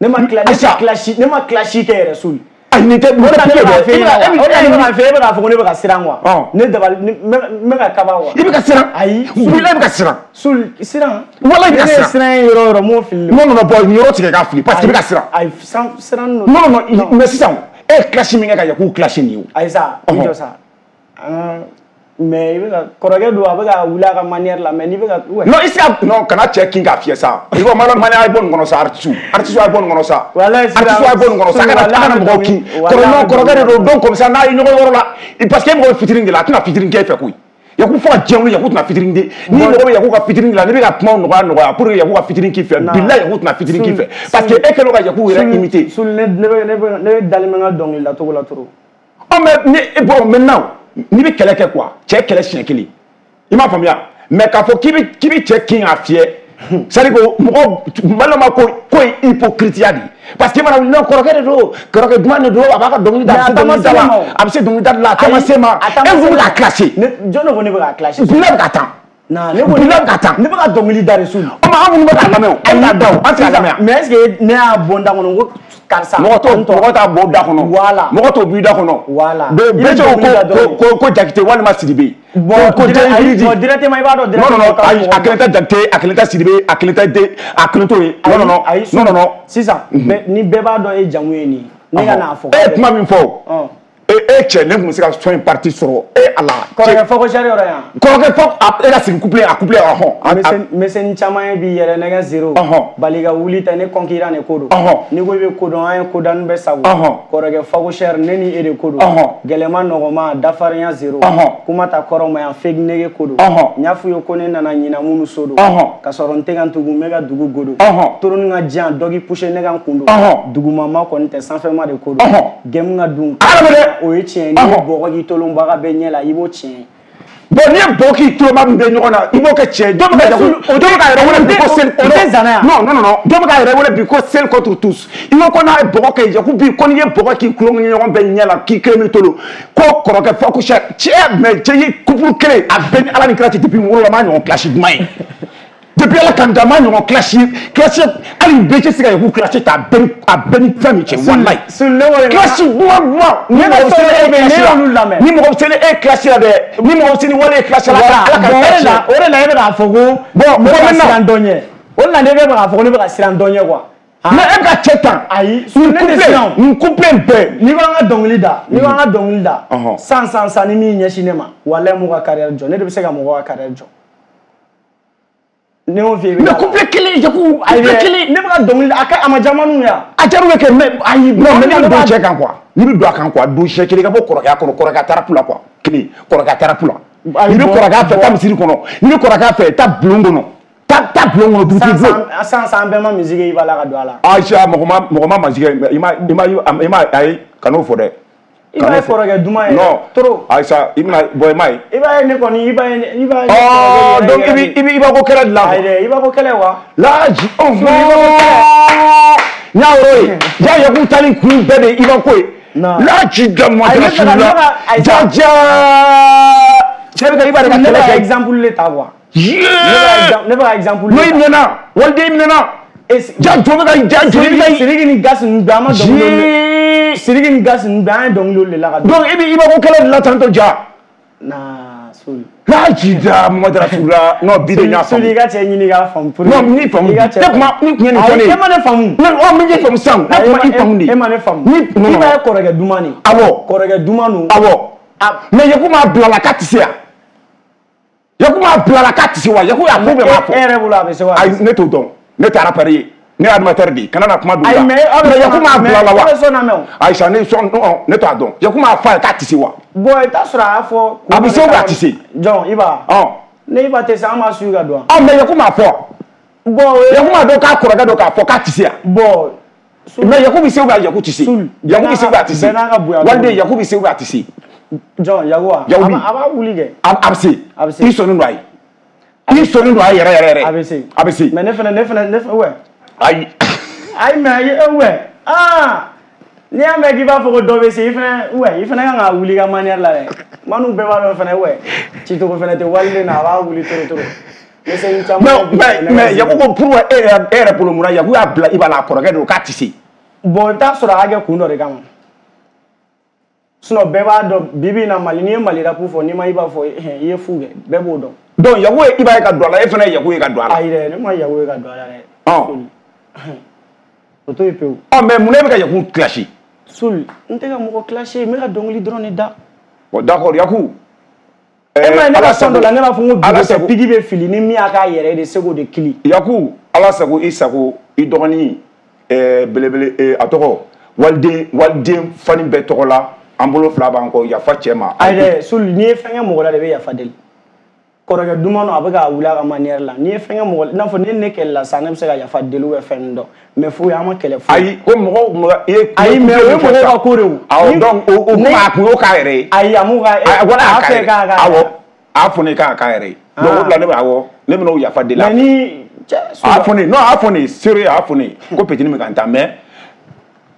ne ma clash ne ma clash kɛ yɛrɛ Sul. Ayi nin tɛ nin tɛ piki ye dɛ. O de la ne bɛ k'a fɛ e bɛ k'a fɔ ko ne bɛ ka siran quoi. Ne dabali n bɛ ka kaba quoi. I bɛ ka siran. Ayi. Bilahi i bɛ ka siran. Sul siran. Walahi i bɛ ka siran. Ne ye siran ye yɔrɔ o yɔrɔ n m'o fili. Non non non bon nin yɔrɔ tigɛ k'a fili parce que i bɛ ka siran. Ayi siran non non non mais sisan e ye clash min kɛ ka Yaku clash nin ye o. Ayi sa i jɔ sa. Mais i bɛ ka kɔrɔkɛ don a bɛ ka wuli a ka manière la mais n'i bɛ ka. Non i se ka non kana cɛ kin k'a fiyɛ sa i ko mana mana a ye bɔ nin kɔnɔ sa artiste artiste a ye bɔ nin kɔnɔ sa. Walayi artiste a ye bɔ nin kɔnɔ sa a kana a kana mɔgɔw kin kɔrɔ non kɔrɔkɛ de don donc comme ça n'a ye ɲɔgɔn yɔrɔ la parce que e mɔgɔ bɛ fitinin de la a tɛna fitinin kɛ e fɛ koyi. Yaku fo ka diɲɛ wuli Yaku tɛna fitinin de ni mɔgɔ bɛ Yaku ka fitinin de la n'i bɛ ka kumaw nɔgɔya nɔgɔya pour que Yaku ka fitinin k'i fɛ bilahi Yaku tɛna fitinin k'i fɛ parce que e kɛlen don ka Yaku yɛrɛ imiter. Sul ne ne bɛ ne bɛ ne bɛ dalen bɛ n ka dɔnkili da cogo la trop. Ɔ mais ni bon maintenant n'i bɛ kɛlɛ kɛ quoi cɛ kɛlɛ siɲɛ kelen i m'a faamuya mais k'a fɔ k'i bɛ k'i bɛ cɛ kin k'a fiyɛ c'est à dire que mɔgɔ maliyɛnw b'a ko ko ye hypocrite de ye parce que i mana wuli non kɔrɔkɛ de don kɔrɔkɛ duman de don a b'a ka dɔnkili da a bɛ se dɔnkili da la a bɛ se dɔnkili da la a taama se ma e ko bɛ k'a clasher. Jɔn de ko ne bɛ k'a clasher. Bilahi bɛ ka tan. Non ne ko bilahi bɛ ka tan. Ne bɛ ka dɔnkili da de Sul. O ma an minnu bɛ k'a lamɛn o an t'a da o an tɛ k'a lamɛn. Mais est ce que ne y'a bɔ n da kɔnɔ ko karisa. Mɔgɔ t'o mɔgɔ t'a bɔ da kɔnɔ. Voilà. Mɔgɔ t'o bɔ i da kɔnɔ. Voilà. Bɛɛ ko ko ko Jakite walima Sidibe. Bon ko bon directement i b'a dɔn directement. Non non non ayi a kelen tɛ Jakite a kelen tɛ Sidibe a kelen tɛ de a kelen t'o ye. Non non non non non non. Sisan ni bɛɛ b'a dɔn e jamu ye nin ye ne ka n'a fɔ. E ye kuma min fɔ o. E e cɛ ne tun bɛ se ka son in partie sɔrɔ e Ala. Kɔrɔkɛ fɔ ko sari yɔrɔ yan. Kɔrɔkɛ fɔ e ka sigi couplet a couplet ɔhɔn. Misɛnnin caman ye b'i yɛrɛ nɛgɛ zéro. Bali ka wuli tɛ ne concurrent de ko don. N'i ko i bɛ ko dɔn an ye ko danni bɛɛ sago. Kɔrɔkɛ fɔ ko sari ne ni e de ko don. Gɛlɛma nɔgɔma dafarinya zéro. Kuma ta kɔrɔ ma yan fake nege ko don. N y'a f'u ye ko ne nana ɲina minnu so don. Ka sɔrɔ n tɛ ka n tugu n bɛ ka dugu godo. Toroni ka jan dɔ k'i pousser ne ka n kun don. Dugumama kɔni tɛ sanfɛma de ko don. Gɛmu ka dun. O ye tiɲɛ ye n'i ye bɔgɔ k'i tolonbaga bɛɛ ɲɛ la i b'o tiɲɛ ye. Bon n'i ye bɔgɔ k'i tolonbaga min bɛ ɲɔgɔn na i b'o kɛ tiɲɛ ye dɔw bɛ ka jago dɔw bɛ k'a yɛrɛ wele bi ko sel o tɛ zana ya. Non non non dɔw bɛ k'a yɛrɛ wele bi ko sel contre tous i ko ko n'a ye bɔgɔ kɛ Yaku bi ko n'i ye bɔgɔ k'i tulonkɛ ɲɔgɔn bɛɛ ɲɛ la k'i kelen b'i tolo ko kɔrɔkɛ fɔ ko sɛ cɛ mais cɛ ye couple kelen a bɛɛ ni Ala ni kira cɛ depuis n wolola n m'a ɲɔgɔn clash duman ye. Depuis Ala ka n da n m'a ɲɔgɔn clash clash hali bɛɛ tɛ se ka Yaku clash ta a bɛɛ ni a bɛɛ ni fɛn min cɛ walayi. Clash duman duman ni mɔgɔ bɛ se ne e clash la ni mɔgɔ bɛ se ne e clash la dɛ ni mɔgɔ bɛ se ni wale e clash la Ala ka o de la o de la e bɛ k'a fɔ ko bon ne bɛ ka siran dɔ ɲɛ o de la ne bɛ k'a fɔ ko ne bɛ ka siran dɔ ɲɛ quoi. Mais e bɛ ka cɛ tan. Ayi ne tɛ siran o. Nin couplet bɛɛ. N'i ko an ka dɔnkili da n'i ko an ka dɔnkili da san san san ni min ɲɛsin ne ma walayi m'u ka carrière jɔ ne de bɛ se ka mɔgɔw ka carrière jɔ. Ne y'o f'i ye. Mais couplet kelen Yaku couplet kelen. Ne bɛ ka dɔnkili a ka a ma diya Manu ye wa. A diyara u ye kɛ mais ayi non mais n'i bɛ don cɛ kan quoi n'i bɛ don a kan quoi don siɲɛ kelen i ka bɔ kɔrɔkɛya kɔnɔ kɔrɔkɛya tarapu la quoi kelen kɔrɔkɛya tarapu la. N'i bɛ kɔrɔkɛya fɛ taa misiri kɔnɔ n'i bɛ kɔrɔkɛya fɛ taa bulon kɔnɔ taa taa bulon kɔnɔ dugutigi bulon. San san bɛɛ ma musique i b'a la ka don a la. Ayi mɔgɔ ma mɔgɔ ma musique i ma i ma i ma ayi kan'o fɔ dɛ. I b'a ye kɔrɔkɛ duman ye. Non trop. Ayisa i bɛna bɔ i m'a ye. I b'a ye ne kɔni i b'a ye i b'a ye. Ɔɔ donc i b'i i b'i i b'a ko kɛlɛ dilan. Ayi dɛ i b'a ko kɛlɛ wa. Laji ɔhɔn. N y'a yɔrɔ ye. Ja Yaku tali kun bɛɛ de Iba ko ye. La ci da ma la. Ja ja. Cɛ bɛ ka Iba de ka kɛlɛ kɛ. Exemple le ta quoi. Ne bɛ ka exemple le ta. N'o y'i minɛ na, waliden y'i minɛ na. Ja jɔ bɛ ka ja jɔ bɛ ka. Sidiki ni Gas ninnu bɛɛ an ma dɔnkili. Sidiki ni Gas ninnu bɛɛ an ye dɔnkili de la ka. Donc e bɛ Iba ko kɛlɛ de la tantɔ ja. Na Soli. La ci da Mamadu Rasulula non bi de n y'a faamu. Soli i ka cɛ ɲini k'a faamu. Non n'i faamu ne kuma ni kun ye nin fɔ ne ye. E ma ne faamu. Ne ɔ min ye faamu sisan ne kuma i faamu de. E ma ne faamu. Ni Iba ye kɔrɔkɛ duman de. Awɔ. Kɔrɔkɛ duman don. Awɔ. Mais Yaku m'a bila la k'a tɛ se yan. Yaku m'a bila la k'a tɛ se wa Yaku y'a ko bɛɛ m'a fɔ. E yɛrɛ bolo a bɛ se wa. Ayi ne t'o dɔn ne tɛ rappeur ye. Ne ye animateur de ye kana na kuma don la. Ayi mais aw bɛ Yaku m'a bila la wa. Aw bɛ sɔn na mɛn o. Ayi sa ne sɔn ne t'a dɔn Yaku m'a fɔ a ye k'a tɛ se wa. Bon i t'a sɔrɔ a y'a fɔ. A bɛ se ou bien a tɛ se. Jɔn Iba. Ɔn. Ne Iba tɛ se an b'a suit ka don. Ɔ mais Yaku m'a fɔ. Bon Yaku m'a dɔn k'a kɔrɔkɛ don k'a fɔ k'a tɛ se yan. Bon. Mais Yaku bɛ se ou bien Yaku tɛ se. Yaku bɛ se ou bien a tɛ se. Bɛɛ n'a ka bonya. Waliden Yaku bɛ se ou bien a tɛ se. Jɔn Yaku wa. Yaku bi. A b'a wuli kɛ. A bɛ se. A bɛ se. I sɔnnen don a ye. I sɔnnen don a ye yɛrɛ yɛrɛ yɛrɛ. A bɛ se. A bɛ se. Mais ne fɛnɛ ne fɛnɛ ne fɛnɛ ouais. Ayi. Ayi mais eh ouais ah n'i y'a mɛn k'i b'a fɔ ko dɔ bɛ se i fɛnɛ ouais i fɛnɛ kan ka wuli ka manière la dɛ manu bɛɛ b'a dɔn fɛnɛ ouais cicogo fɛnɛ tɛ waliden na a b'a wuli toro toro. Mais mais Yaku ko pourquoi e yɛrɛ e yɛrɛ bolo mun na Yaku y'a bila Iba la a kɔrɔkɛ don k'a tɛ se. Bon i bɛ taa sɔrɔ a y'a kɛ kun dɔ de kama. Sinon bɛɛ b'a dɔn bi bi in na Mali n'i ye Mali rap fɔ n'i ma Iba fɔ i ye fu kɛ bɛɛ b'o dɔn. Donc Yaku ye Iba ye ka don a la e fɛnɛ ye Yaku ye ka don a la. Ayi dɛ ne ma Yaku ye ka don a la dɛ. Ɔn. O to yen pewu. Ɔ mais mun na e bɛ ka Yaku clasher. Soli n tɛ ka mɔgɔ clasher n bɛ ka dɔnkili dɔrɔn de da. Bon d'accord Yaku. E ma ye ne ka son dɔ la ne b'a fɔ n ko bi tɛ pigi bɛ fili ni min y'a k'a yɛrɛ ye de se k'o de kili. Yaku Ala sago i sago i dɔgɔnin ɛɛ belebele a tɔgɔ waliden waliden fani bɛɛ tɔgɔ la an bolo fila b'an kɔ yafa cɛ ma. Ayi dɛ Soli n'i ye fɛn kɛ mɔgɔ la de i bɛ yafa deli. Kɔrɔkɛ duman don a bɛ ka wuli a ka manière la n'i ye fɛn kɛ mɔgɔ i n'a fɔ ni ne kɛlɛla sisan ne bɛ se ka yafa deli ou bien fɛn dɔ mais foyi an ma kɛlɛ foyi. Ayi ko mɔgɔw mɔgɔ i ye. Ayi mais o ye mɔgɔw ka ko de ye o. Awɔ donc o o kuma a kun y'o k'a yɛrɛ ye. Ayi a m'o ka. Wala a a fɛ k'a k'a. Awɔ a fɔ ne k'a k'a yɛrɛ ye. Donc o de la ne bɛ awɔ ne bɛna o yafa deli. Mais ni cɛ. A fɔ ne non a fɔ ne sérieux a fɔ ne ko petit min ka n ta mais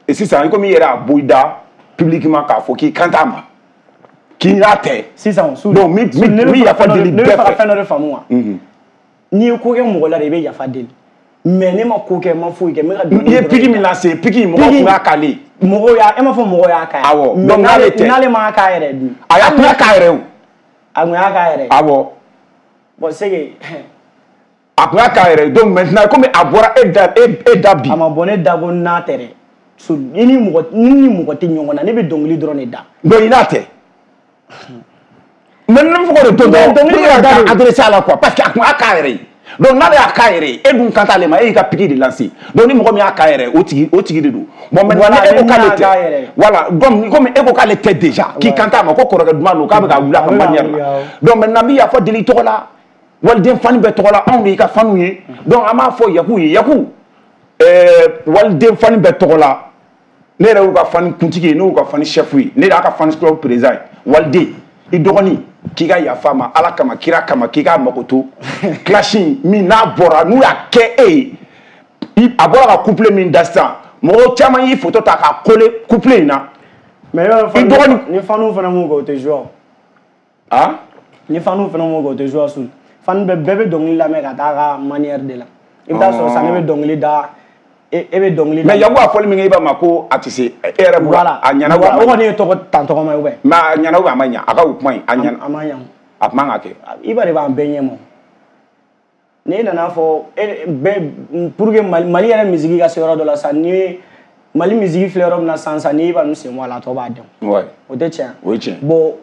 sisan i komi i yɛrɛ y'a bɔ i da publiquement k'a fɔ k'i kan t'a ma. K'i n'a tɛ. Sisan su donc mi mi mi yafa deli bɛɛ fɛ. Ne bɛ fɛ ka fɛn dɔ de faamu wa. N'i ye ko kɛ mɔgɔ la de i bɛ yafa deli mais ne ma ko kɛ n ma foyi kɛ n bɛ ka dɔnkili. I ye pique min lase pique mɔgɔw kun y'a k'ale. Mɔgɔw y'a e m'a fɔ mɔgɔw y'a k'a ye. Awɔ donc n'ale tɛ. N'ale m'a k'a yɛrɛ dun. Ayi a kun y'a k'a yɛrɛ o. A kun y'a k'a yɛrɛ. Awɔ. Bon c'est que. A kun y'a k'a yɛrɛ donc maintenant komi a bɔra e da e e da bi. A ma bɔ ne da ko n'a tɛ dɛ. Ni ni mɔgɔ ni ni mɔgɔ tɛ ɲɔgɔn na ne bɛ dɔnkili dɔrɔn de da. Donc i n'a tɛ. Mais ne bɛ fɔ k'o de to dɔrɔn ne bɛ ka adressé a la quoi parce que a kun y'a k'a yɛrɛ ye donc n'ale y'a k'a yɛrɛ ye e dun kan t'ale ma e y'i ka pique de lancer donc ni mɔgɔ min y'a k'a yɛrɛ ye o tigi o tigi de don bon maintenant e ko k'ale tɛ voilà donc komi e ko k'ale tɛ déjà k'i kan t'a ma ko kɔrɔkɛ duman don k'a bɛ ka wuli a ka manière la donc maintenant n bɛ yafa deli i tɔgɔ la waliden fani bɛɛ tɔgɔ la anw de y'i ka faniw ye donc an b'a fɔ Yaku ye Yaku ɛɛ waliden fani bɛɛ tɔgɔ la ne yɛrɛ y'u ka fani kuntigi ye ne y'u ka fani chef ye ne de y'a ka fani club président ye waliden i dɔgɔnin k'i ka yafa ma Ala kama kira kama k'i k'a mako to clash min n'a bɔra n'u y'a kɛ e ye a bɔra ka couple min da sisan mɔgɔw caman y'i photo ta k'a coller couple in na. Mais i dɔgɔnin ni faniw fana m'o kɛ o tɛ jouer o. Ah ni faniw fana m'o kɛ o tɛ jouer su fan bɛɛ bɛɛ bɛ dɔnkili lamɛn ka taa a ka manière de la i bɛ taa sɔrɔ sisan ne bɛ dɔnkili da. E bɛ dɔnkili da. Mais Yaku a fɔli min kɛ i b'a ma ko a tɛ se e yɛrɛ bolo a ɲɛna ou a ma ɲa. O kɔni ye tɔgɔ tan tɔgɔma ye ou bien. Mais a ɲɛna ou a ma ɲa a ka o kuma in a ɲɛna. A ma ɲa. A man ka kɛ. Iba de b'an bɛɛ ɲɛ ma. N'e nana fɔ e bɛɛ pour que Mali Mali yɛrɛ musique ka se yɔrɔ dɔ la sisan ni ye Mali musique filɛ yɔrɔ min na sisan sisan ni Iba ninnu sen bɔ a la a tɔ b'a dɛn. Ouais. O tɛ tiɲɛ. O ye tiɲɛ. Bon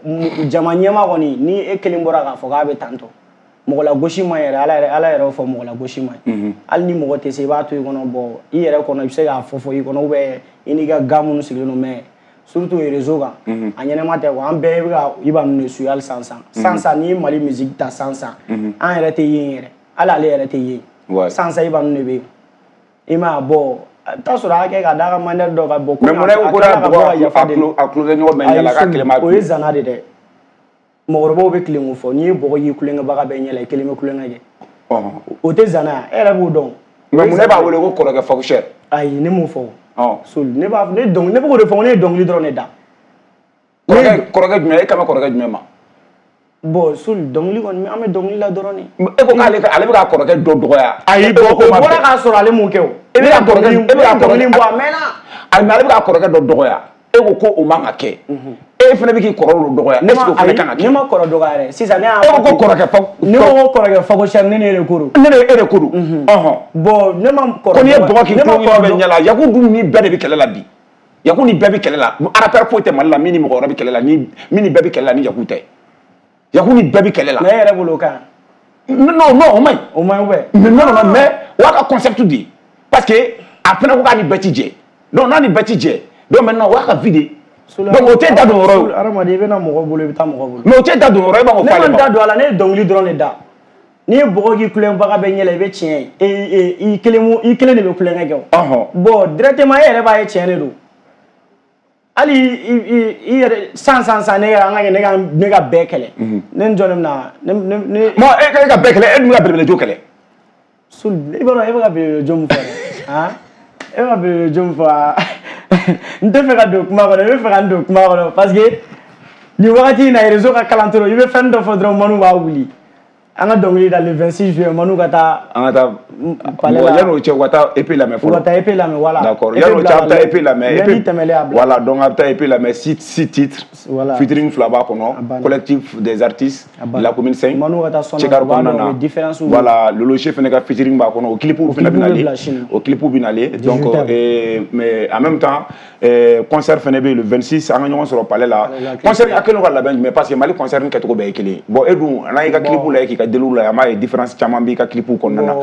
jama ɲɛma kɔni ni e kelen bɔra k'a fɔ k'a bɛ tan tɔ. Mɔgɔ la gosi man yɛrɛ Ala yɛrɛ Ala yɛrɛ y'o fɔ mɔgɔ la gosi man ɲi. Hali ni mɔgɔ tɛ se i b'a to i kɔnɔ bon i yɛrɛ kɔnɔ i bɛ se k'a fɔ fɔ i kɔnɔ ou bien i n'i ka gars minnu sigilen don mais surtout réseau kan a ɲɛnɛma tɛ quoi an bɛɛ bɛ ka Iba ninnu de suit hali sisan sisan. Sisan sisan n'i ye Mali musique ta sisan sisan an yɛrɛ tɛ yen yɛrɛ hali ale yɛrɛ tɛ yen. Sisan sisan Iba ninnu de bɛ yen i m'a ye bon i bɛ taa sɔrɔ a y'a kɛ ka d'a ka manière dɔ kan bon. Mais mun na e ko ko n'a bɔgɔ a tulo kɛ ɲɔgɔn bɛɛ ɲɛ la k'a kelen b'a. O ye zana de dɛ. Mɔgɔkɔrɔbaw bɛ tilen k'o fɔ n'i ye bɔgɔ y'i kulonkɛbaga bɛɛ ɲɛ la i kelen bɛ kulonkɛ kɛ o tɛ zana ye e yɛrɛ b'o dɔn Mais mun ne b'a wele ko kɔrɔkɛ Fakuchère? Ayi, ne m'o fɔ. Sol, ne b'a ne dɔnkili, ne bɛ k'o de fɔ, ne ye dɔnkili dɔrɔn de da. Kɔrɔkɛ kɔrɔkɛ jumɛn, e kan bɛ kɔrɔkɛ jumɛn ma? Bon, Sol, dɔnkili kɔni, an bɛ dɔnkili la dɔrɔn de. E ko k'ale ale bɛ k'a kɔrɔkɛ dɔ dɔgɔya. Ayi, bon, o bɔra k'a sɔrɔ ale m'o kɛ o. E bɛ ka kɔrɔkɛ e bɛ ka dɔnkili bɔ a mɛnna. Ayi, mais ale bɛ k'a kɔrɔkɛ dɔ dɔgɔya. E ko ko o man ka kɛ. E fana bɛ k'i kɔrɔ dɔ dɔgɔya. Est ce que o fana kan ka kɛ? Ne ma kɔrɔ dɔgɔya dɛ. Sisan ne y'a E ko ko kɔrɔkɛ fa. Ne ko ko kɔrɔkɛ Fakuchère, ne ne de ko don. Ne de e de ko don. Ɔhɔn. Bon, ne ma kɔrɔ. Ko n'i ye bɔgɔ k'i tulo bɛ ɲɛ la, Yaku dun ni bɛɛ de bɛ kɛlɛ la bi. Yaku ni bɛɛ bɛ kɛlɛ la. Rappeur foyi tɛ Mali la min ni mɔgɔ wɛrɛ bɛ kɛlɛ la, ni min ni bɛɛ bɛ kɛlɛ la ni Yaku tɛ. Yaku ni bɛɛ bɛ kɛlɛ la. Mais e yɛrɛ bolo o ka ɲi. Non non, o man ɲi. O man ɲi ouais. Mais non non, mais o y'a ka concept de ye. Parce que a fana ko k'a ni bɛɛ ti jɛ. Donc n'a ni bɛɛ ti jɛ, donc maintenant o y'a ka vie de ye. Donc o tɛ da don yɔrɔ ye. Hadamaden, i bɛ na mɔgɔ bolo, i bɛ taa mɔgɔ bolo. Mais o tɛ da don yɔrɔ ye, e b'a fɔ k'ale ma. Ne ma da don a la, ne ye dɔnkili dɔrɔn de da. N'i ye bɔgɔ k'i kulonkɛbaga bɛɛ ɲɛ la, i bɛ tiɲɛ ye. I kelen i kelen de bɛ kulonkɛ kɛ o. Bon, directement e yɛrɛ b'a ye tiɲɛ de don. Hali i i yɛrɛ san san san ne ka an ka ne ka ne ka bɛɛ kɛlɛ. Ne ni jɔn de bɛ na ne ne ne. Bon, e ka e ka bɛɛ kɛlɛ, e dun bɛ ka belebele jo kɛlɛ. Sul, i b'a dɔn e bɛ ka belebele jo min fɔ dɛ, han, e bɛ ka belebele jo min fɔ aa, n tɛ fɛ ka don kuma kɔnɔ, n bɛ fɛ ka n don kuma kɔnɔ parce que nin wagati in na réseau ka kalan trop, i bɛ fɛn dɔ fɔ dɔrɔn Manu b'a wuli. An ka dɔnkili da le vingt-six juillet, Manu ka taa. An ka taa palais la. Yan'o cɛ, u ka taa E P lamɛn fɔlɔ. U ka taa E P lamɛn, voilà. D'accord, yan'o cɛ, a bɛ taa E P lamɛn. Lundi tɛmɛlen a bila. Voilà, donc a bɛ taa E P lamɛn, six six titres. Voilà. Featuring fila b'a kɔnɔ. Collectif des artistes de la commune cinq. Manu ka taa sɔn na, u b'a dɔn o différence. Voilà, Lolo Che fana ka featuring b'a kɔnɔ, o clip fana bɛ nalen. O clip bɛ nalen. Donc mais en même temps, concert fana bɛ yen le vingt-six, an ka ɲɔgɔn sɔrɔ palais la. Concert a kɛlen don ka labɛn jumɛn, parce que Mali concert kɛcogo bɛɛ ye kelen ye. Bon, e dun n'an y'i ka clip lajɛ k'i ka deliw lajɛ, an b'a ye différence caman b'i ka clip kɔnɔna na.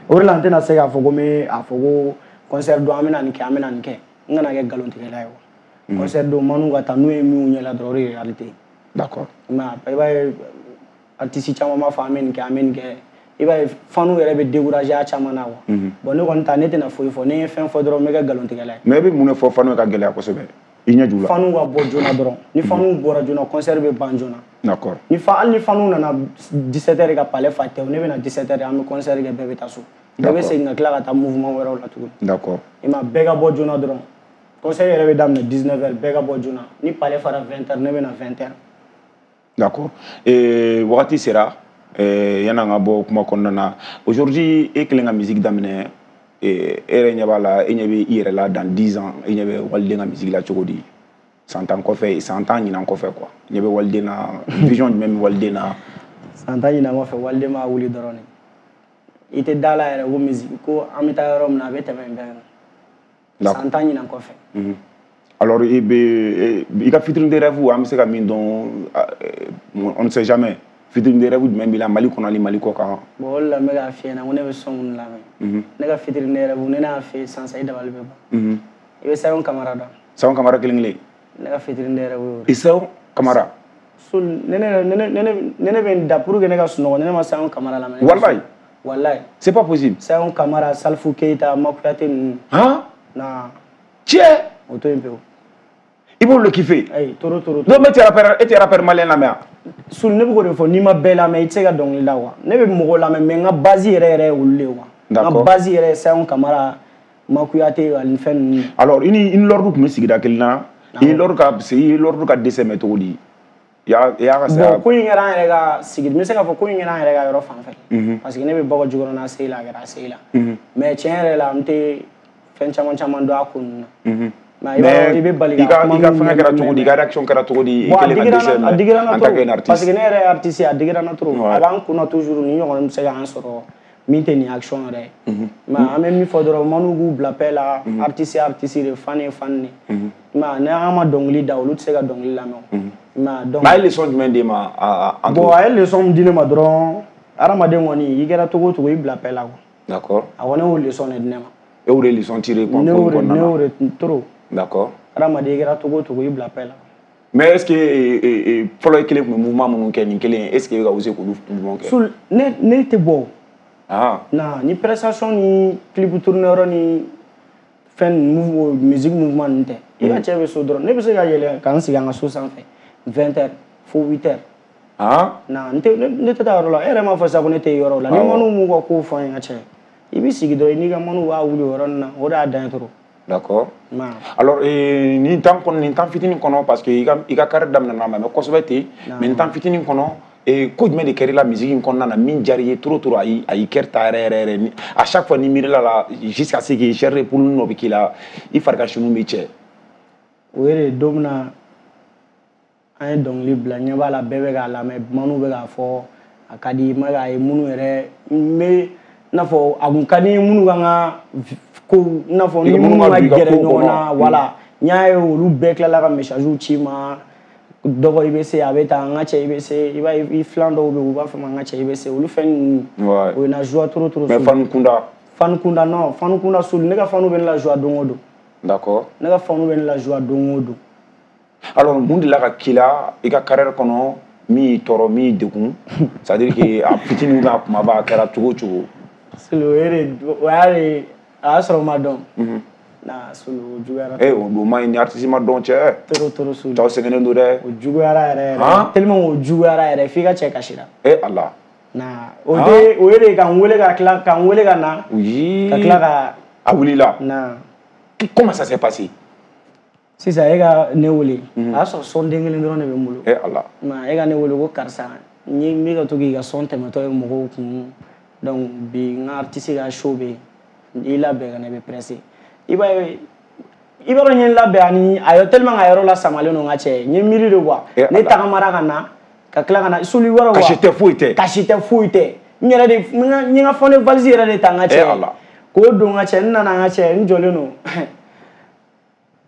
O de la n tɛna se k'a fɔ ko n bɛ a fɔ ko concert don an bɛna nin kɛ, an bɛna nin kɛ. N kana kɛ nkalontigɛla ye quoi. Concert don, Manu ka taa n'u ye min ɲɛ la dɔrɔn, o de ye réalité. D'accord. Mais i b'a ye artiste caman b'a fɔ an bɛ nin kɛ, an bɛ nin kɛ. I b'a ye fanu yɛrɛ bɛ décourager a caman na quoi. Bon, ne kɔni ta, ne tɛna foyi fɔ, ni n ye fɛn fɔ dɔrɔn n bɛ kɛ nkalontigɛla ye. Mais e bɛ mun de fɔ fanu ka gɛlɛya kosɛbɛ? I ɲɛ jula. Fanu ka bɔ joona dɔrɔn. Ni fanu bɔra joona, concert bɛ ban joona. D'accord. Ni fa hali ni fanu nana dix-sept heures ka palais fa tɛ, ne bɛ na dix-sept heures, an bɛ concert kɛ, bɛɛ bɛ taa so. Bɛɛ bɛ segin ka tila ka taa mouvement wɛrɛw la tuguni. D'accord. I ma bɛɛ ka bɔ joona dɔrɔn. Concert yɛrɛ bɛ daminɛ dix-neuf heures, bɛɛ ka bɔ joona. Ni palais fara vingt heures, ne bɛ na vingt heures. D'accord. Et wagati sera yan'an ka bɔ kuma kɔnɔna na. Aujourd'hui, e kelen ka musique daminɛ, e yɛrɛ ɲɛ b'a la, e ɲɛ bɛ i yɛrɛ la dans dix ans, e ɲɛ bɛ waliden ka musique la cogo di? San tan kɔfɛ, san tan ɲinan kɔfɛ quoi. Ɲɛ bɛ waliden na, vision jumɛn bɛ waliden na? San tan ɲinan kɔfɛ, waliden b'a wuli dɔrɔn de. I tɛ da la yɛrɛ ko musique ko an bɛ taa yɔrɔ min na, a bɛ tɛmɛ nin bɛɛ kan. San tan ɲinan kɔfɛ. Alors i bɛ i ka featuring de rêve, an bɛ se ka min dɔn, on ne sait jamais. Featuring de rêve jumɛn b'i la Mali kɔnɔ ani Mali kɔ kan? Bon, o de la n bɛ k'a f'i ɲɛna ko ne bɛ son minnu lamɛn. Ne ka featuring de rêve, ne n'a f'i ye sisan sisan, i dabali bɛ ban. I bɛ Sayon Kamara dɔn? Sayon Kamara kelen kelen. Ne ka featuring de rêve y'o de. Sayon Kamara. Sol, ne ne ne ne ne bɛ n da pour que ne ka sunɔgɔ, ne ne ma Sayon Kamara lamɛn. Walayi. Walayi. C'est pas possible. Sayon Kamara, Salifou Keita, Makuyate ninnu. Han? Na. Tiɲɛ. O to yen pewu. I b'olu kiffer. Ayi, toro toro. Non, mais tu es rappeur, e tɛ rappeur malien lamɛn wa? Sul, ne bɛ k'o de fɔ, n'i ma bɛɛ lamɛn, i tɛ se ka dɔnkili da quoi. Ne bɛ mɔgɔw lamɛn, mais n ka base yɛrɛ yɛrɛ ye olu de ye quoi. N ka base yɛrɛ ye Sayon Kamara, Makuyate ani fɛn ninnu. Alors i ni i ni Lord tun bɛ sigida kelen na. I ni Lord ka i ni Lord ka dɛsɛ mɛn cogo di? I y'a i y'a ka saya. Bon, ko in kɛra an yɛrɛ ka sigi, n bɛ se k'a fɔ ko in kɛra an yɛrɛ ka yɔrɔ fan fɛ. Parce que ne bɛ Bakɔ Jikɔrɔni A C I la, a kɛra A C I la. Mais tiɲɛ yɛrɛ la, n tɛ fɛn caman caman dɔn a ko ninnu na. Mais i bɛ bali ka kuma, i ka fɛngɛ kɛra cogo di, i ka réaction kɛra cogo di? I kɛlen ka dɛsɛ mɛn en tant qu'un artiste. Parce que ne yɛrɛ ye artiste ye, a digira n na trop. A b'an kunna toujours, ni ɲɔgɔn bɛ se k'an sɔrɔ min tɛ nin action yɛrɛ ye. Mais an bɛ min fɔ dɔrɔn, Manu k'u bila paix la, artiste ye artiste de, fan ye fan de. Mais ni an ma dɔnkili da, olu tɛ se ka dɔnkili lamɛn o. Mais donc. Mais a ye leçon jumɛn d'e ma? Bon, a ye leçon min di ne ma dɔrɔn, hadamaden kɔni, i kɛra cogo o cogo, i bila paix la quoi. D'accord. A kɔni y'o leçon de di ne ma. E y'o de leçon tiré quoi? Ne y'o de, ne y'o de trop. D'accord. Hadamaden, i kɛra cogo o cogo, i bila paix la. Mais est-ce que fɔlɔ i kelen tun bɛ mouvement minnu kɛ nin kelen, est-ce que e bɛ ka oser k'olu mouvement kɛ? Sul, ne ne tɛ bɔ. Ah. Na ni prestation ni clip tourner yɔrɔ ni fɛn musique mouvement ninnu tɛ. I ka cɛ bɛ so dɔrɔn, ne bɛ se ka yɛlɛ ka n sigi an ka so sanfɛ vingt heures fo huit heures. Ah. Na n tɛ ne tɛ taa yɔrɔ la, e yɛrɛ m'a fɔ sisan ko ne tɛ yɔrɔ la. Ni Manu m'u ka kow fɔ an ye, n ka cɛ. I b'i sigi dɔrɔn, i n'i ka manu b'a wuli o yɔrɔnin na, o de y'a dan ye trop. D'accord. Alors, nin temps kɔnɔ, nin temps fitinin kɔnɔ, parce que i ka i ka carrière daminɛna ma mɛ kosɛbɛ ten, mais nin temps fitinin kɔnɔ, ko jumɛn de kɛra i la musique in kɔnɔna na min diyara i ye trop trop, a y'i a y'i cœur ta yɛrɛ yɛrɛ yɛrɛ, à chaque fois ni miirila la jusqu'à ce que chair de poule dɔ bɛ k'i la, i farigasinu bɛ cɛ? O ye de, don min na an ye dɔnkili bila, ɲɛ b'a la bɛɛ bɛ k'a lamɛn, manu bɛ k'a fɔ a ka di, ma k'a ye minnu yɛrɛ n bɛ i n'a fɔ a kun ka di minnu kan ka ko i n'a fɔ ni minnu ka gɛrɛ ɲɔgɔn na, voilà, n y'a ye olu bɛɛ tilala ka message ci ma, dɔgɔ i bɛ se, a bɛ tan, n ka cɛ i bɛ se, i b'a ye i filan dɔw bɛ yen u b'a fɔ ma n ka cɛ i bɛ se, olu fɛn ninnu o ye na joie trop trop. Mais fan kunda? Fan kunda non, fan kunda sulu, ne ka fanu bɛ ne la joie don o don. D'accord. Ne ka fanu bɛ ne la joie don o don. Alors mun de la ka k'i la i ka carrière kɔnɔ min y'i tɔɔrɔ, min y'i degun, c'est à dire que a fitinin ou bien a kumaba, a kɛra cogo o cogo? Sulu, o ye de, o y'a de, a y'a sɔrɔ n ma dɔn. Na Sulu, o juguyara. Eh, o ma ɲi ni artiste ma dɔn cɛ. Trop trop Sulu. Cɛw sɛgɛnnen don dɛ. O juguyara yɛrɛ yɛrɛ. Tellement o juguyara yɛrɛ f'i ka cɛ kasira. Eh Ala. Na o de, o ye de ka n wele ka tila ka n wele ka na. Oui. Ka tila ka. A wulila. Na. Comment ça s'est passé? Sisan e ka ne wele, a y'a sɔrɔ son den kelen dɔrɔn de bɛ n bolo. Eh Ala. Ma e ka ne wele ko karisa, n ye n bɛ ka to k'i ka son tɛmɛtɔ ye mɔgɔw kun, donc bi n ka artiste ka show bɛ yen, i labɛn ka na, i bɛ pressé. I b'a ye, i b'a dɔn n ye n labɛn ani a yɔrɔ tellement ka yɔrɔ la samalen don n ka cɛ, n ye miiri de quoi. Ne tagamara ka na ka tila ka na sulu wɛrɛ quoi. Kasi tɛ foyi tɛ. Kasi tɛ foyi tɛ. N yɛrɛ de n ye n ka fɔnɛ valise yɛrɛ de ta n ka cɛ. Eh Ala. K'o don n ka cɛ, n nana n ka cɛ, n jɔlen don.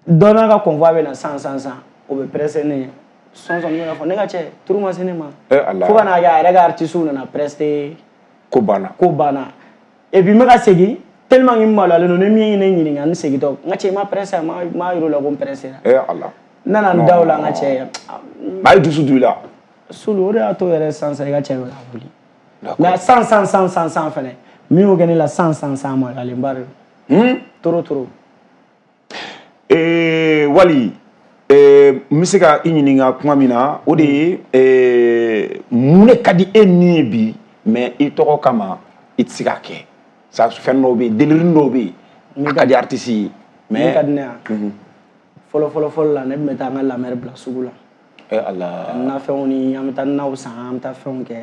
Dɔ n'a ka convoi bɛ na san san san, o bɛ pressé ne ɲɛ. Sɔn sɔn bɛ ka fɔ ne ka cɛ, turu ma se ne ma. Eh Ala. Fo ka n'a kɛ a yɛrɛ ka artiste nana pressé. Ko banna. Ko banna. Et puis n bɛ ka segin. Tellement que n maloyalen don, ni min ye ne ɲininka n segintɔ, n ka cɛ i ma pressé, ma ma yir'o la ko n pressé la. Eh Ala. N nana n da o la n ka cɛ. A ye dusu don i la. Sulu, o de y'a to yɛrɛ sisan sisan i ka cɛ bɛ ka wuli. Mais san san san san san fɛnɛ, min y'o kɛ ne la san san san maloyalenba de don. Trop trop. Eh Wali, eh n bɛ se ka i ɲininka kuma min na, o de ye eh mun de ka di e ni ye bi, mais i tɔgɔ kama i tɛ se k'a kɛ? Ça fɛn dɔw bɛ yen, délire dɔw bɛ yen, a ka di artiste ye, mais min ka di ne ye, fɔlɔ fɔlɔ fɔlɔ la, ne tun bɛ taa n ka lamɛri bila sugu la. Eh Ala. Nafɛnw ni an bɛ taa naw san, an bɛ taa fɛnw kɛ.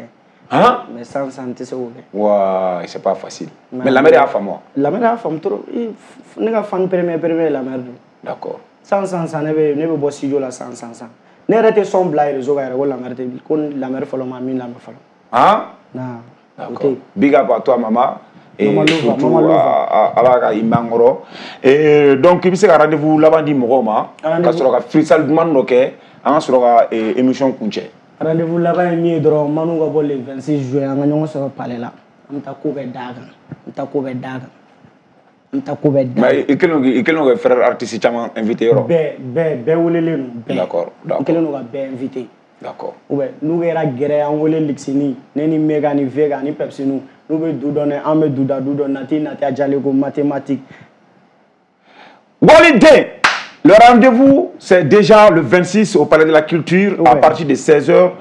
Han? Mais san san n tɛ se k'o kɛ. Waay, c'est pas facile. Mais lamɛri y'a faamu wa? Lamɛri y'a faamu trop. Ne ka fan premier premier lamɛri don. D'accord. San san san ne bɛ ne bɛ bɔ studio la san san san. Ne yɛrɛ tɛ son bila réseau kan yɛrɛ ko lamɛri tɛ, ko lamɛri fɔlɔ ma min lamɛn fɔlɔ. Han? Na. D'accord. Big up à toi maman. Et surtout ala ka i mankɔrɔ. Et donc i bɛ se ka rendez-vous laban di mɔgɔw ma, ka sɔrɔ ka freestyle duman dɔ kɛ, an ka sɔrɔ ka émission kuncɛ. Rendez-vous laban ye min ye dɔrɔn, manu ka bɔ le vingt-six juin, an ka ɲɔgɔn sɔrɔ palais la, an bɛ taa ko bɛɛ d'a kan, an bɛ taa ko bɛɛ d'a kan, an bɛ taa ko bɛɛ d'a kan. Mais i kɛlen don i kɛlen don ka frère artiste caman invité yɔrɔ? Bɛɛ bɛɛ bɛɛ welelen don bɛɛ. D'accord, d'accord. N kɛlen don ka bɛɛ invité. D'accord. Ou bien n'u kɛra gɛrɛ an wele Lixini, ne ni Mega ni Vega ni Pepsinu, n'u bɛ du dɔn an bɛ du da du dɔn, nati nati a jalen ko mathématique. Waliden, le rendez-vous c'est déjà le vingt-six au Palais de la Culture, ouais, à partir de seize heures.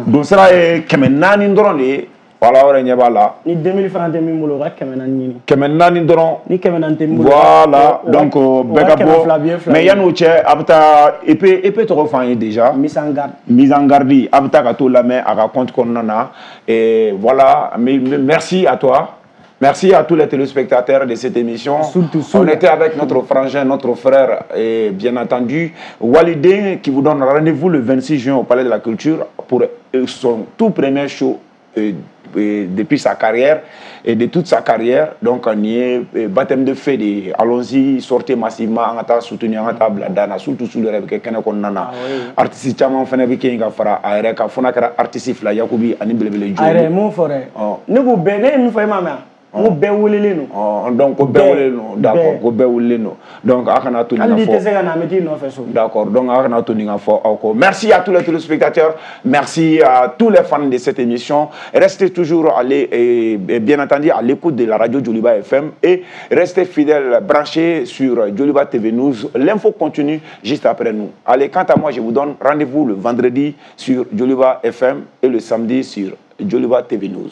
Don sera ye kɛmɛ naani dɔrɔn de ye. Voilà, o yɛrɛ ɲɛ b'a la. Ni deux mille francs tɛ min bolo, o ka kɛmɛ naani ɲini. Kɛmɛ naani dɔrɔn. Ni kɛmɛ naani tɛ min bolo. Voilà, donc bɛɛ ka bɔ. Mais yanni o cɛ, a bɛ taa E P E P tɔgɔ f'an ye déjà. Mise en garde. Mise en garde, a bɛ taa ka t'o lamɛn a ka compte kɔnɔna na. Et voilà, merci à toi. Merci à tous les téléspectateurs de cette émission. Surtout, surtout. On était avec notre frangin, notre frère, et bien entendu, Waliden, qui vous donne rendez-vous le vingt-six juin au Palais de la Culture pour son tout premier show et, et depuis sa carrière et de toute sa carrière. Donc on y est, baptême de feu, allons-y, sortez massivement, an ka taa soutenir, an ka taa bila dan na, surtout sur le rêve kɛ kɛnɛ kɔnɔna na. Artiste caman fana bɛ kɛ yen ka fara a yɛrɛ kan, fo n'a kɛra artiste fila, Yakubi ani Belebele Jo. A yɛrɛ mun fɔ dɛ, ne k'u bɛɛ, ne ye min fɔ e m'a mɛn. Ko bɛɛ welelen don. Donc ko bɛɛ welelen don, d'accord, ko bɛɛ welelen don. Donc a kana to nin ka fɔ. Hali n'i tɛ se ka na, an bɛ t'i nɔfɛ so. D'accord, donc a kana to nin ka fɔ aw kɔ. Merci à tous les téléspectateurs, merci à tous les fans de cette émission. Restez toujours allez, et, et bien entendu à l'écoute de la radio Djoliba F M et restez fidèles, branchés sur Djoliba T V News. L'info continue juste après nous. Allez, quant à moi, je vous donne rendez-vous le vendredi sur Djoliba F M et le samedi sur Djoliba T V News.